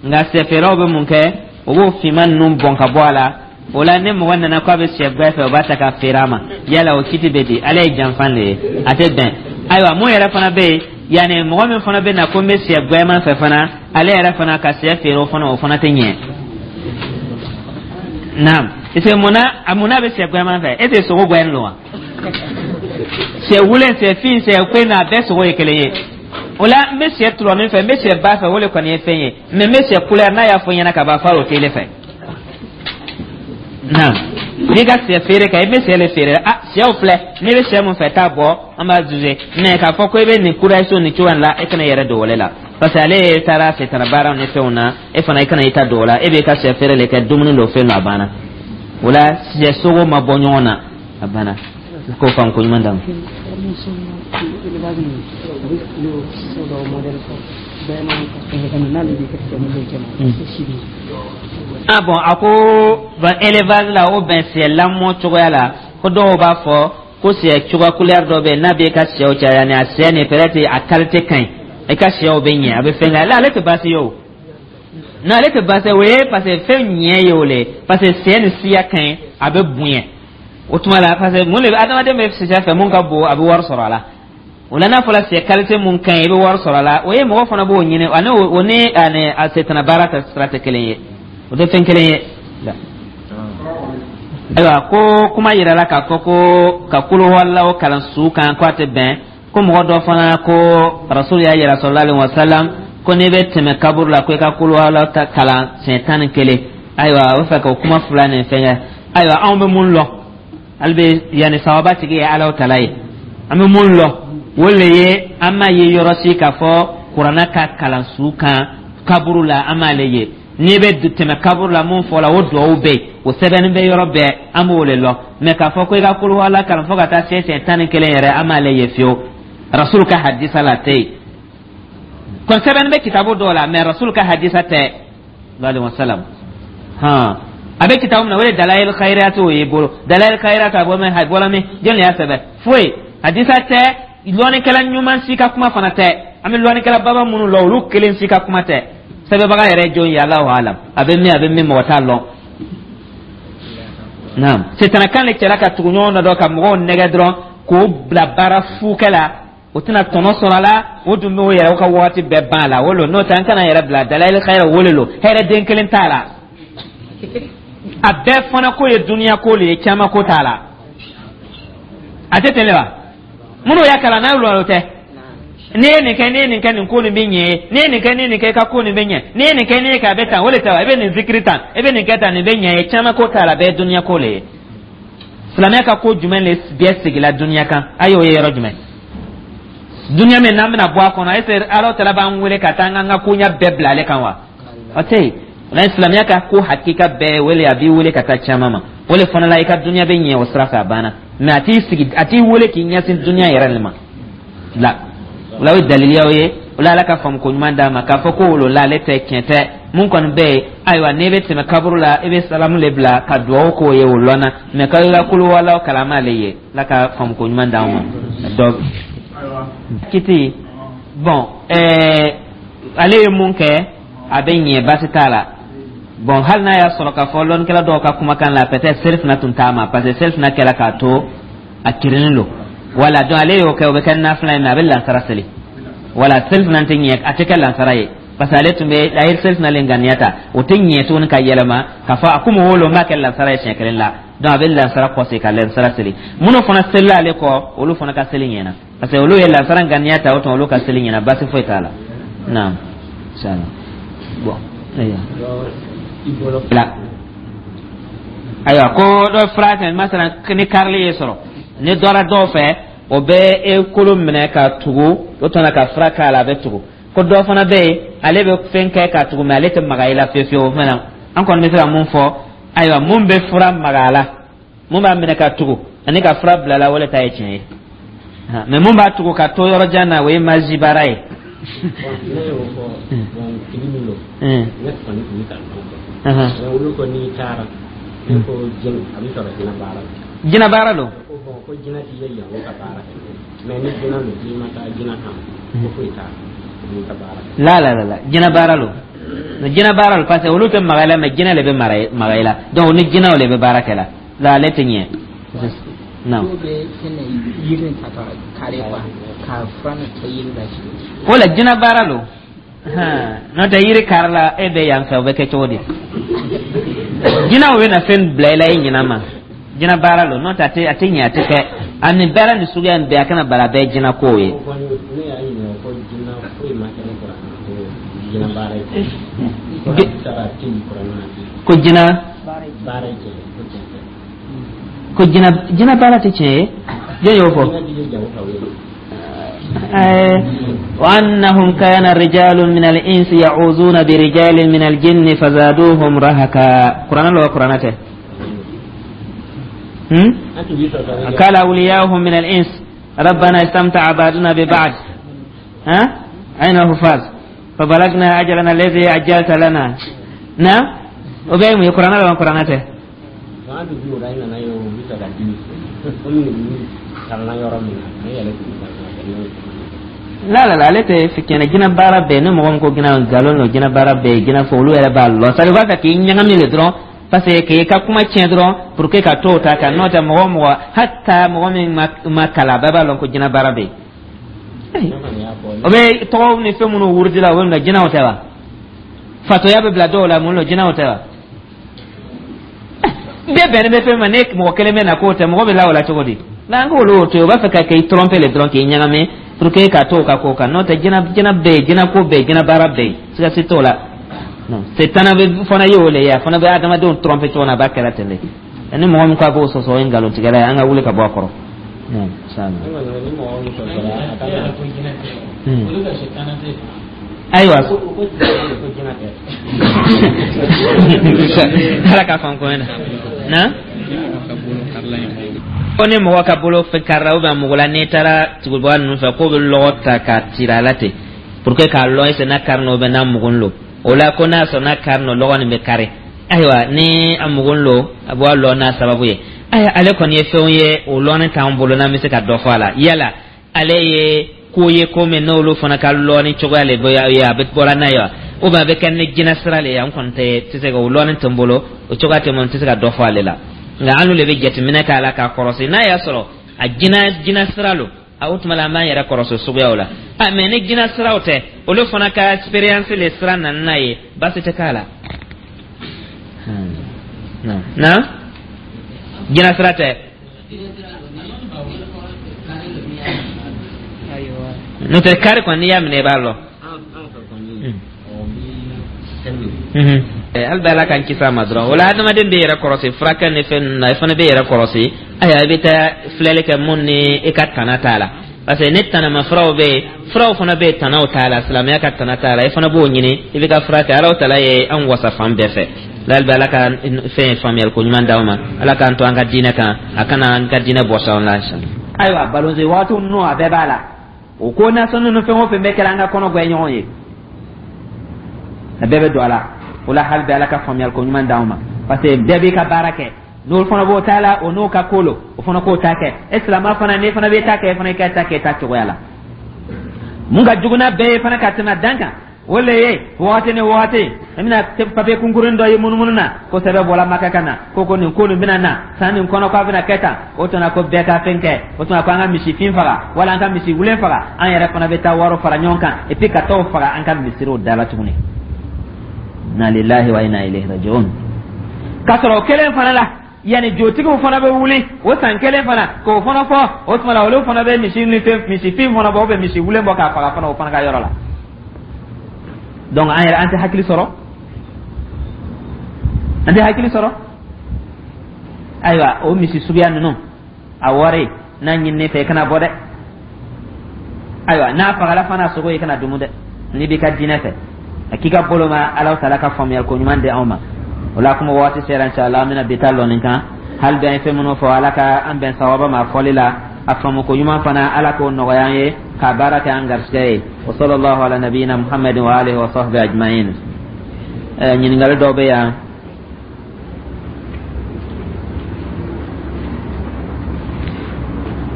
nka sɛ feerelaw bɛ mun kɛ? O b'o finman ninnu bɔn ka bɔ a la. O la, ni mɔgɔ nana k'a bɛ sɛ gwɛ fɛ, o b'a ta ka feere a ma. Yala o kiti bɛ di? Ala ye janfan de ye, a tɛ bɛn. Ayiwa, mun yɛrɛ fana bɛ yen, yanni mɔgɔ min fana bɛ na ko n bɛ sɛ gwɛman fɛ fana, ale yɛrɛ fana ka sɛ feere, o fana o fana tɛ ɲɛ. Naam, parce que munna a munna bɛ sɛ gwɛman fɛ? E tɛ sogo gwɛn don wa? Sɛ wulen, sɛ fin, sɛ koyi, a bɛɛ sogo ye kelen ye. O la, n bɛ sɛ tulɔnin fɛ, n bɛ sɛ ba fɛ, o de kɔni ye fɛn ye, mais n bɛ sɛ couleur n'a y'a fɔ n ɲɛna ka ban, f'a o t'ele fɛ. Naam, n'i ka sɛ feere kɛ, i bɛ sɛ le feere. Ah, sɛw filɛ, n'i bɛ sɛ mun fɛ, taa bɔ, an b'a juger, mais k'a fɔ ko i bɛ nin couleur so nin cogoya in la, e kana yɛrɛ don o le la, parce que ale ye taara setana baaraw ni fɛnw na, e fana i kana i ta don o la. E b'i ka sɛ feere le kɛ, dumuni don, fɛn don, a banna. O la, sɛ sogo ma bɔ ɲɔgɔn na, a banna. K'o faamu ko ɲuman d'a ma. Ah bon, a ko ban élevage la, o bɛn sɛ lamɔ cogoya la, ko dɔw b'a fɔ ko sɛ cogoya couleur dɔ bɛ yen, n'a b'e ka sɛw caya, ni a sɛ nin peut-être a qualité ka ɲi, i ka sɛw bɛ ɲɛ, a bɛ fɛn kɛ. Ale ale tɛ baasi ye o, non, ale tɛ baasi ye o ye, parce que fɛn ɲɛ ye o le, parce que sɛ ni siya ka ɲi, a bɛ bonya o tuma la, parce que mun de bɛ adamaden bɛ sɛ fɛ mun ka bon, a bɛ wari sɔrɔ a la. O la, n'a fɔra sɛ qualité mun ka ɲi, i bɛ wari sɔrɔ a la, o ye mɔgɔ fana b'o ɲini, ani o ni ani a setana baara ta sira tɛ kelen ye, o tɛ fɛn kelen ye. Ayiwa, ko kuma yirala k'a fɔ ko ka kuluwalaw kalan su kan, ko a tɛ bɛn. Ko mɔgɔ dɔ fana ko Rasul y'a yira sallallahu alaihi wasallam ko n'i bɛ tɛmɛ kaburu la, ko i ka kuluwalaw ta kalan siɲɛ tan ni kelen. Ayiwa, o bɛ fɛ k'o kuma fila nin fɛngɛ. Ayiwa, anw bɛ mun lɔn hali bɛ yanni sababa tigi ye Alahu tala ye, an bɛ mun lɔn, o le ye an m'a ye yɔrɔ si k'a fɔ kuranɛ ka kalan su kan kaburu la, an m'ale ye. N'i bɛ tɛmɛ kaburu la, mun fɔla, o duwawu bɛ yen, o sɛbɛnni bɛ yɔrɔ bɛɛ, an b'o de lɔn. Mais k'a fɔ ko i ka kuluwala kalan fo ka taa se siɲɛ tan ni kelen yɛrɛ, an m'ale ye fiyewu. Rasul ka hadisa la, a tɛ yen kɔni. Sɛbɛnni bɛ kitabu dɔw la, mais Rasul ka hadisa tɛ alayhi wa salam. Hɔn, a bɛ kitabu min na, o de Dalayil Khayirati, o y'i bolo Dalayil Khayirati, a bɔ min, a bɔra min, jɔn de y'a sɛbɛn? Foyi, hadisa tɛ, lɔnnikɛla ɲuman si ka kuma fana tɛ. An bɛ lɔnnikɛla baba minnu lɔn, olu kelen si ka kuma tɛ. Sɛbɛnbaga yɛrɛ ye jɔn ye? Alahu alam. A bɛ min, a bɛ min, mɔgɔ t'a lɔn. Naam, setanakan de cɛla ka tugu ɲɔgɔn na dɔrɔn, ka mɔgɔw nɛgɛ dɔrɔn k'o bila baara fukɛ la, o tɛna tɔnɔ sɔrɔ a la, o dun b'o yɛrɛ o ka waati bɛɛ ban a la. O lo, n'o tɛ, an kana yɛrɛ bila Dalayil Khayira, o le lo, hɛrɛ den kelen t'a la. A bɛɛ fana ko ye duniya ko le ye, caman ko t'a la. A tɛ ten le wa? Minnu y'a kalan n'a y'olu tɛ. N'i ye nin kɛ, n'i ye nin kɛ, nin ko nin bɛ ɲɛ. N'i ye nin kɛ, n'i ye nin kɛ, i ka ko nin bɛ ɲɛ. N'i ye nin kɛ, n'i ye kɛ, a bɛ tan. O de tɛ wa? I bɛ nin zikiri tan, i bɛ nin kɛ tan, nin bɛ ɲɛ ye. Caman ko t'a la, a bɛɛ ye duniya ko le ye. Silamɛya ka ko jumɛn le bɛɛ sigila duniya kan? A y'o ye yɔrɔ jumɛn? Duniya min n'an bɛna bɔ a kɔnɔ, est ce que Ala tala b'an wele ka taa an ka koɲɛ bɛɛ bila ale kan wa? O tɛ yen. O la, silamɛya ka ko hakika bɛɛ wele, a b'i wele ka taa caman ma. O le fana la, i ka duniya bɛ ɲɛ o sira fɛ, a banna. Mais a t'i sigi, a t'i wele k'i ɲɛsin duniya yɛrɛ de ma la. O la, o ye daliliyaw ye. O la, Ala ka faamu ko ɲuman d'a ma k'a fɔ ko wolo la, ale tɛ tiɲɛ tɛ. Mun kɔni bɛ yen, ayiwa, n'e bɛ tɛmɛ kaburu la, i bɛ salamu le bila ka duwawu k'o ye, o lɔnna. Mais k'aw ka kolo wala kalama ale ye. Ala ka faamu ko ɲuman d'anw ma. Donc kiti bon, ɛɛ ale ye mun kɛ, a bɛ ɲɛ, baasi t'a la. Bon, hali n'a y'a sɔrɔ k'a fɔ lɔnnikɛla dɔw ka kumakan la, peut-être selifana tun t'a ma, parce que selifana kɛra k'a to a kirinen don. Wala, donc ale y'o kɛ, o bɛ kɛ nafila ye, mais a bɛ lansara seli. Wala, selifana tɛ ɲɛ, a tɛ kɛ lansara ye, parce que ale tun bɛ, a ye selifana le ŋaniya ta. O tɛ ɲɛ tuguni ka yɛlɛma k'a fɔ a komi o lo, n b'a kɛ lansara ye siɲɛ kelen la. Donc a bɛ lansara kɔsegin ka lansara seli. Minnu fana selila ale kɔ, olu fana ka seli ɲɛna, parce que olu ye lansara ŋaniya ta. O tuma, olu ka seli ɲɛna, baasi foyi t'a la. Naam, inshallah. Bon, ayiwa la, ayiwa, ko dɔ fura kɛ, masalan ni karili ye sɔrɔ, ni dɔra dɔw fɛ, o bɛ e kolo minɛ ka tugu, o tuma ka fura k'a la, a bɛ tugu. Ko dɔ fana bɛ yen, ale bɛ fɛn kɛ ka tugu, mais ale tɛ maga i la fiyewu fiyewu. O fana, an kɔni bɛ se ka mun fɔ? Ayiwa, mun bɛ fura maga a la, mun b'a minɛ ka tugu ani ka fura bila la, o le ta ye tiɲɛ ye. Mais mun b'a tugu ka to yɔrɔ jan na, o ye magie baara ye. Ne y'o fɔ. Bon, tigi min don, ne kɔni tun bɛ ka dɔn kɛ, mais olu ko n'i taara, ne ko jɛn, a bɛ sɔrɔ jinɛ baara la. Jinɛ baara don. Ko bon, ko jinɛ t'i ye yan ka baara kɛ, mais ni jinɛ don, n'i ma taa jinɛ kan, ko foyi t'a la, n'i ka baara kɛ. La la la la, jinɛ baara lo, jinɛ baara lo, parce que olu tɛ maga i la, mais jinɛ le bɛ mara maga i la. Donc ni jinɛw le bɛ baara kɛ la la, ale tɛ ɲɛ. Non. Dɔw bɛ fɛn yiri ta ka kari quoi, ka fura nin kɛ yiri la. O la, jinɛ baara lo. N'o tɛ, yiri kari la, e bɛ yan fɛ, o bɛ kɛ cogo di? Jinɛw bɛ na fɛn bila i la, i ɲinɛ ma. Jinɛ baara lo, n'o tɛ, a tɛ a tɛ ɲɛ, a tɛ kɛ. Ani baara ni suguya nin bɛɛ, a kana bala, bɛɛ ye jinɛ kow ye. Ne y'a ɲininka ko jinɛ foyi ma kɛ ne kɔrɔ ko jinɛ baara ye ko sara tɛ yen kuranɛ na. Ko jinɛ baara ye tiɲɛ ko tiɲɛ tɛ. Ko jinɛ jinɛ baara tɛ tiɲɛ ye, jɔn y'o fɔ? Jinɛ b'i ye jago ka wele. وأنهم كان رجال من الإنس يعوذون برجال من الجن فزادوهم رهقا. قرآن لو قرآن هم؟ قال أولياؤهم من الإنس ربنا استمتع بعضنا ببعض، ها، أين الحفاظ، فبلغنا أجلنا الذي أجلت لنا. نعم، وبين قرآن لو قرآن. An tun b'o la, i nana ye, o bɛ fɛ ka dimi komi nin kalanna yɔrɔ min na, ne yɛrɛ tun bɛ ka La la la, ale tɛ kɛnɛ. Jinɛ baara bɛɛ, ni mɔgɔ min ko jinɛ, nkalon don. Jinɛ baara bɛɛ ye jinɛ fɔ, olu yɛrɛ b'a lɔn. C'est à dire u b'a fɛ k'i ɲagami le dɔrɔn, parce que k'i ka kuma tiɲɛ dɔrɔn pour que ka t'o ta kan. N'o tɛ, mɔgɔ o mɔgɔ, hata mɔgɔ min ma ma kalan, bɛɛ b'a lɔn ko jinɛ baara bɛ yen. O bɛ tɔgɔw ni fɛn minnu wurudi la, o bɛ minɛ, jinɛw tɛ wa? Fatɔya bɛ bila dɔw la, mun don? Jinɛw tɛ wa? Bɛɛ bɛnnen bɛ fɛn ma, ne mɔgɔ kelen bɛ na k'o tɛ, mɔgɔ bɛ la o la cogo di? N'an k'olu y'o to yen, u b'a fɛ ka k'i tromper le dɔrɔn, k'i ɲagami pour que ka t'o ka ko kan. N'o tɛ, jinɛ jinɛ bɛ yen, jinɛ ko bɛ yen, jinɛ baara bɛ yen, siga si t'o la. Non, setana bɛ fana ye o le ye, a fana bɛ adamadenw tromper cogo min na, a b'a kɛra ten de. Ni mɔgɔ min ko a b'o sɔsɔ, o ye nkalontigɛla ye. An ka wuli ka bɔ a kɔrɔ. Non, inshallah. Ne kɔni, ni mɔgɔ min sɔsɔra, a ka na. Hmm. Ayiwa, ko ko ko jinɛ tɛ. Ala k'a faamu ko na na ko ni mɔgɔ ka bolo fɛ karila ou bien mɔgɔ la, n'i taara tugubaga ninnu fɛ, k'o bɛ lɔgɔ ta k'a tira a la ten pour que k'a lɔn est n'a kari n'o bɛ n'a mugun lo. O la, ko n'a sɔrɔ n'a kari n'o lɔgɔ nin bɛ kari. Ayiwa, ni a mugun lo, a bɔ lɔ n'a sababu ye. Ayiwa, ale kɔni ye fɛnw ye, o lɔnni t'an bolo n'an bɛ se ka dɔ fɔ a la. Yala ale ye ko ye, ko min n'olu fana ka lɔnni cogoya le bɛ ye, a bɛ bɔra n'a ye wa, ou bien a bɛ kɛ ni jinɛ sira le ye? An kɔni tɛ tɛ se ka o lɔnni tɛ n bolo, o cogoya tɛ n bolo, n tɛ se ka dɔ fɔ ale la. Nka an le bɛ jateminɛ k'a la k'a kɔrɔsi. N'a y'a sɔrɔ a jinɛ jinɛ sira lo, a o tuma la, an b'an yɛrɛ kɔrɔsi suguyaw la. A mais ni jinɛ siraw tɛ, olu fana ka expérience le sira nana n'a ye, baasi tɛ k'a la. Hmm. Na jinɛ sira tɛ, n'o tɛ kari kɔni, n'i y'a minɛ, i b'a lɔ. Hali bɛ Ala k'an kisi a ma dɔrɔn. O la, adamaden bɛ yɛrɛ kɔlɔsi furakɛ ni fɛn ninnu na. I fana bɛ yɛrɛ kɔlɔsi. Ayiwa, i bɛ taa filɛli kɛ mun ni i ka tana t'a la, parce que ni tanama furaw bɛ yen, furaw fana bɛ yen, tanaw t'a la, silamɛya ka tana t'a la, i fana b'o ɲini, i bɛ ka fura kɛ. Ala tala ye an wasa fan bɛɛ fɛ. Hali bɛ Ala ka fɛn faamuyali ko ɲuman d'aw ma. Ala k'an to an ka diinɛ kan, a kana an ka diinɛ bɔsi an la. Ayiwa, balonse waati ninnu, a bɛɛ b'a la. O ko nasɔn ninnu, fɛn o fɛn bɛ kɛra an ka kɔnɔ gɛn ɲɔgɔn ye, a bɛɛ bɛ don a la. O la, hali bɛ Ala ka faamuyali ko ɲuman d'aw ma, parce que bɛɛ b'i ka baara kɛ. N'o fana b'o ta la, o n'o ka ko lo, o fana k'o ta kɛ. E silamɛ fana, n'i fana bɛ ta kɛ, e fana i ka ta kɛ ta cogoya la. Mun ka jugu n'a bɛɛ ye fana ka tɛmɛ dan kan, o le ye wagati ni wagati, i bɛna papiye kunkurunin dɔ ye munumunu na ko sɛbɛn bɔra Maka ka na ko ko nin ko nin bɛna na san nin kɔnɔ, k'a bɛna kɛ tan. O tuma ko bɛɛ ka fɛn kɛ. O tuma ko an ka misifin faga wala an ka misi wulen faga, an yɛrɛ fana bɛ taa wari fara ɲɔgɔn kan, et puis ka t'o faga an ka misiriw da la tuguni. Inna lillahi wa inna ilayhi raji'un. K'a sɔrɔ o kelen fana la, yanni jotigiw fana bɛ wuli o san kelen fana k'o fana fɔ. O tuma la, olu fana bɛ misi ni fɛn misifin fana bɔ, ou misi wulen bɔ k'a faga fana, o fana ka yɔrɔ la. Donc an yɛrɛ, an tɛ hakili sɔrɔ, an tɛ hakili sɔrɔ. Ayiwa, o misi suguya ninnu, a wari n'a ɲininen fɛ, i kana bɔ dɛ. Ayiwa, n'a fagala fana, sogo, i kana dumu dɛ, n'i b'i ka diinɛ fɛ. A k'i ka bolo ma. Ala taala ka faamuyali ko ɲuman di anw ma. O la, kuma waati sera, inshallah an bɛna bi ta lɔ nin kan. Hali bi an ye fɛn minnu fɔ, Ala ka an bɛn sawaba ma fɔli la. A faamu ko ɲuman fana, Ala k'o nɔgɔya an ye k'a baara kɛ an garisɛgɛ ye. Wa sallallahu ala nabiyina Muhammadin wa alihi wa sahbihi ajma'in. Ɲininkali dɔw bɛ yan.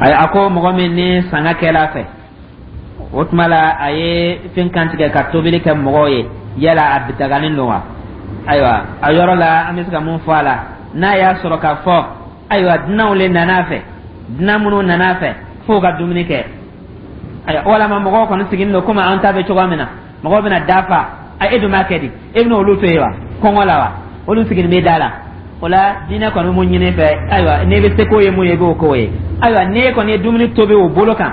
Ayi, a ko mɔgɔ min ni sanga kɛla fɛ, o tuma la a ye fɛn kantigɛ ka tobili kɛ mɔgɔw ye, yala a daganen don wa? Ayiwa, a yɔrɔ la, an bɛ se ka mun fɔ a la? N'a y'a sɔrɔ k'a fɔ, ayiwa, dunanw le nana a fɛ, dunan minnu nana a fɛ f'o ka dumuni kɛ, ayiwa, walama mɔgɔw kɔni sigilen don komi an ta bɛ cogoya min na, mɔgɔw bɛna dafa a, e dun b'a kɛ di? E bɛna olu to yen wa, kɔngɔ la wa? Olu sigilen bɛ da la. O la, diinɛ kɔni mun ɲini fɛ, ayiwa, n'i bɛ se k'o ye mun ye, i b'o k'o ye. Ayiwa, n'e kɔni ye dumuni tobi o bolo kan,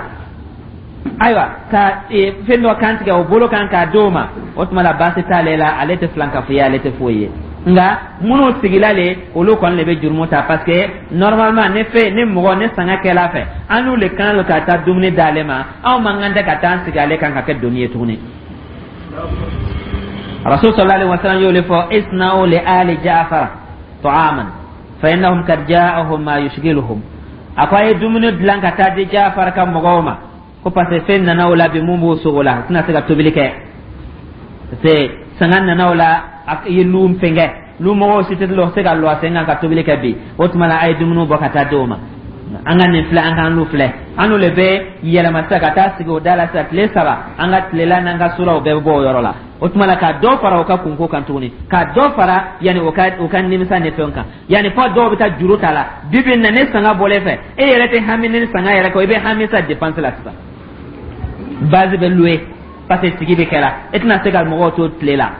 ayiwa, ka fɛn dɔ kan tigɛ o bolo kan k'a d'o ma, o tuma la baasi t'ale la, ale tɛ filankafoya ye, ale tɛ foyi ye. Nka minnu sigila le, olu kɔni de bɛ jurumu ta, parce que normalement ni fɛn ni mɔgɔ ni sanga kɛla fɛ, an n'u le kan ka taa dumuni d'ale ma. Anw man kan tɛ ka taa an sigi ale kan ka kɛ doni ye tuguni. Rasul sallallahu alaihi wasallam y'o le fɔ: isna'u li ali Ja'far ta'aman fa innahum kad ja'ahum ma yushghiluhum. A ko a ye dumuni dilan ka taa di Ja'far ka mɔgɔw ma, ko parce que fɛn nana o la bi mun b'o sogo la, u tɛna se ka tobili kɛ, parce que sanga nana o la, a ye lu fɛnkɛ, lu mɔgɔw si tɛ se ka lɔ a sen kan ka tobili kɛ bi. O tuma la, a ye dumuni bɔ ka taa di o ma. An ka nin filɛ, an k'an lu filɛ, an n'u le bɛ yɛlɛma sisan ka taa sigi o da la sisan tile saba. An ka tilela n'an ka suraw bɛɛ bɛ bɔ o yɔrɔ la. O tuma la, ka dɔ fara o ka kunko kan tuguni, ka dɔ fara yanni o ka o ka nimisa ni fɛnw kan, yanni fɔ dɔw bɛ taa juru ta la. Bi bi in na, ne sanga bɔlen fɛ, e yɛrɛ tɛ hami ni sanga yɛrɛ kɔ, i bɛ hami sa dépense la sisan. Base bɛ louer parce que sigi bɛ kɛra, e tɛna se ka mɔgɔw to tile la.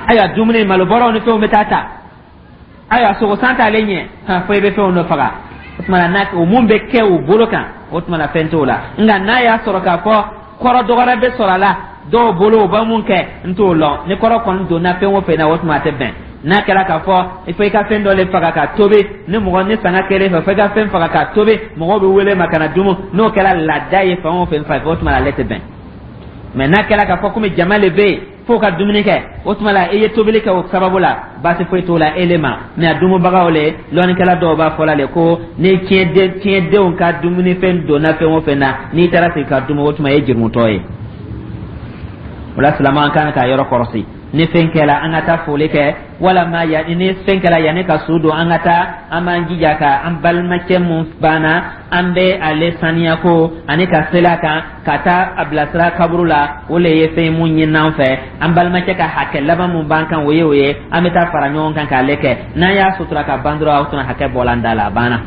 Ayiwa, dumuni malobɔrɔw ni fɛnw bɛ taa ta. Ayiwa, sogo san t'ale ɲɛ han, fo i bɛ fɛnw dɔ faga. O tuma na, n'a o mun bɛ kɛ o bolo kan, o tuma na fɛn t'o la. Nka n'a y'a sɔrɔ k'a fɔ kɔrɔ dɔ wɛrɛ bɛ sɔrɔ a la dɔw bolo, u bɛ mun kɛ, n t'o lɔn. Ni kɔrɔ kɔni donna fɛn o fɛn na, o tuma a tɛ bɛn. N'a kɛra k'a fɔ fo i ka fɛn dɔ le faga ka tobi ni mɔgɔ ni sanga kɛlen fɛ, fo i ka fɛn faga ka tobi, mɔgɔw bɛ wele ma ka na dumu, n'o kɛra laada ye fan o fɛn fɛ, o tuma na ale tɛ bɛn. Mɛ n'a kɛra k'a fɔ komi jama le bɛ yen f'o ka dumuni kɛ, o tuma la i ye tobili kɛ o sababu la, baasi foyi t'o la e le ma. Mɛ a dumubagaw le, lɔnnikɛla dɔw b'a fɔ la le ko ni tiɲɛden tiɲɛdenw ka dumunifɛn donna fɛn o fɛn na, n'i taara sigi ka dumu, o tuma e ye jurumutɔ ye. O la, silamɛ, an kan k'a yɔrɔ kɔlɔsi. Ni fɛn kɛla, an ka taa foli kɛ, walama ya ni fɛn kɛla yanni ka su don, an ka taa, an b'an jija ka an balimacɛ mun banna, an bɛ ale saniya ko ani ka seli a kan ka taa a bilasira kaburu la. O le ye fɛn mun ɲini an fɛ. An balimacɛ ka hakɛ laban mun b'an kan, o ye o ye. An bɛ taa fara ɲɔgɔn kan k'ale kɛ. N'an y'a sutura ka ban dɔrɔn, o tuma hakɛ bɔla an da la, a banna.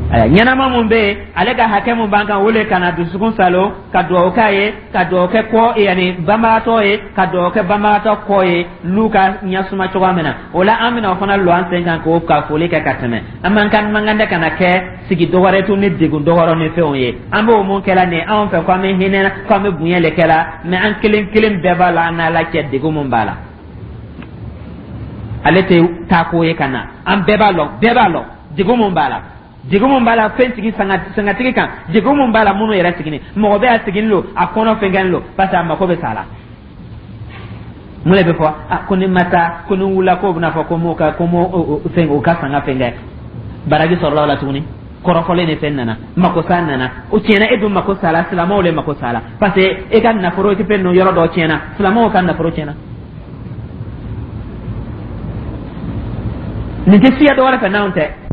Ɲɛnama mun bɛ yen, ale ka hakɛ mun b'an kan, o le ka na dusukun salo, ka dugawu k'a ye, ka dugawu kɛ kɔ, yanni banbagatɔ ye, ka dugawu kɛ banbagatɔ kɔ ye, n'u ka ɲɛsuma cogoya min na. O la, an bɛna o fana lɔ an sen kan k'o ka foli kɛ ka tɛmɛ. An man kan, man kan tɛ ka na kɛ sigi dɔwɛrɛ to ni degun dɔwɛrɛ ni fɛnw ye. An b'o mun kɛla nin anw fɛ, ko an bɛ hinɛ, ko an bɛ bonya le kɛla, mɛ an kelen kelen bɛɛ b'a la, an n'Ala cɛ, degun mun b'a la. Ale tɛ taa ko ye ka na, an bɛɛ b'a lɔn, bɛɛ b'a lɔn degun mun b'a la, degun mun b'a la fɛn sigi sangatigi kan, degun mun b'a la minnu yɛrɛ sigini. Mɔgɔ bɛ a sigini lo, a kɔnɔ fɛnkɛni lo, parce que a mako bɛ sa la. Mun de bɛ fɔ? A ko ni ma taa, ko ni wulila, k'o bɛna fɔ ko m'o ka ko m'o fɛn o ka sanga fɛn kɛ. Baraji sɔrɔla o la tuguni, kɔrɔfɔlen ni fɛn nana, mako sa nana, o tiɲɛna. E dun mako sa la, silamɛw le mako sa la, parce que e ka nafolo tɛ fɛn ninnu yɔrɔ dɔ tiɲɛna, silamɛw ka nafolo tiɲɛna. Nin tɛ siya dɔ wɛrɛ fɛ n'anw tɛ.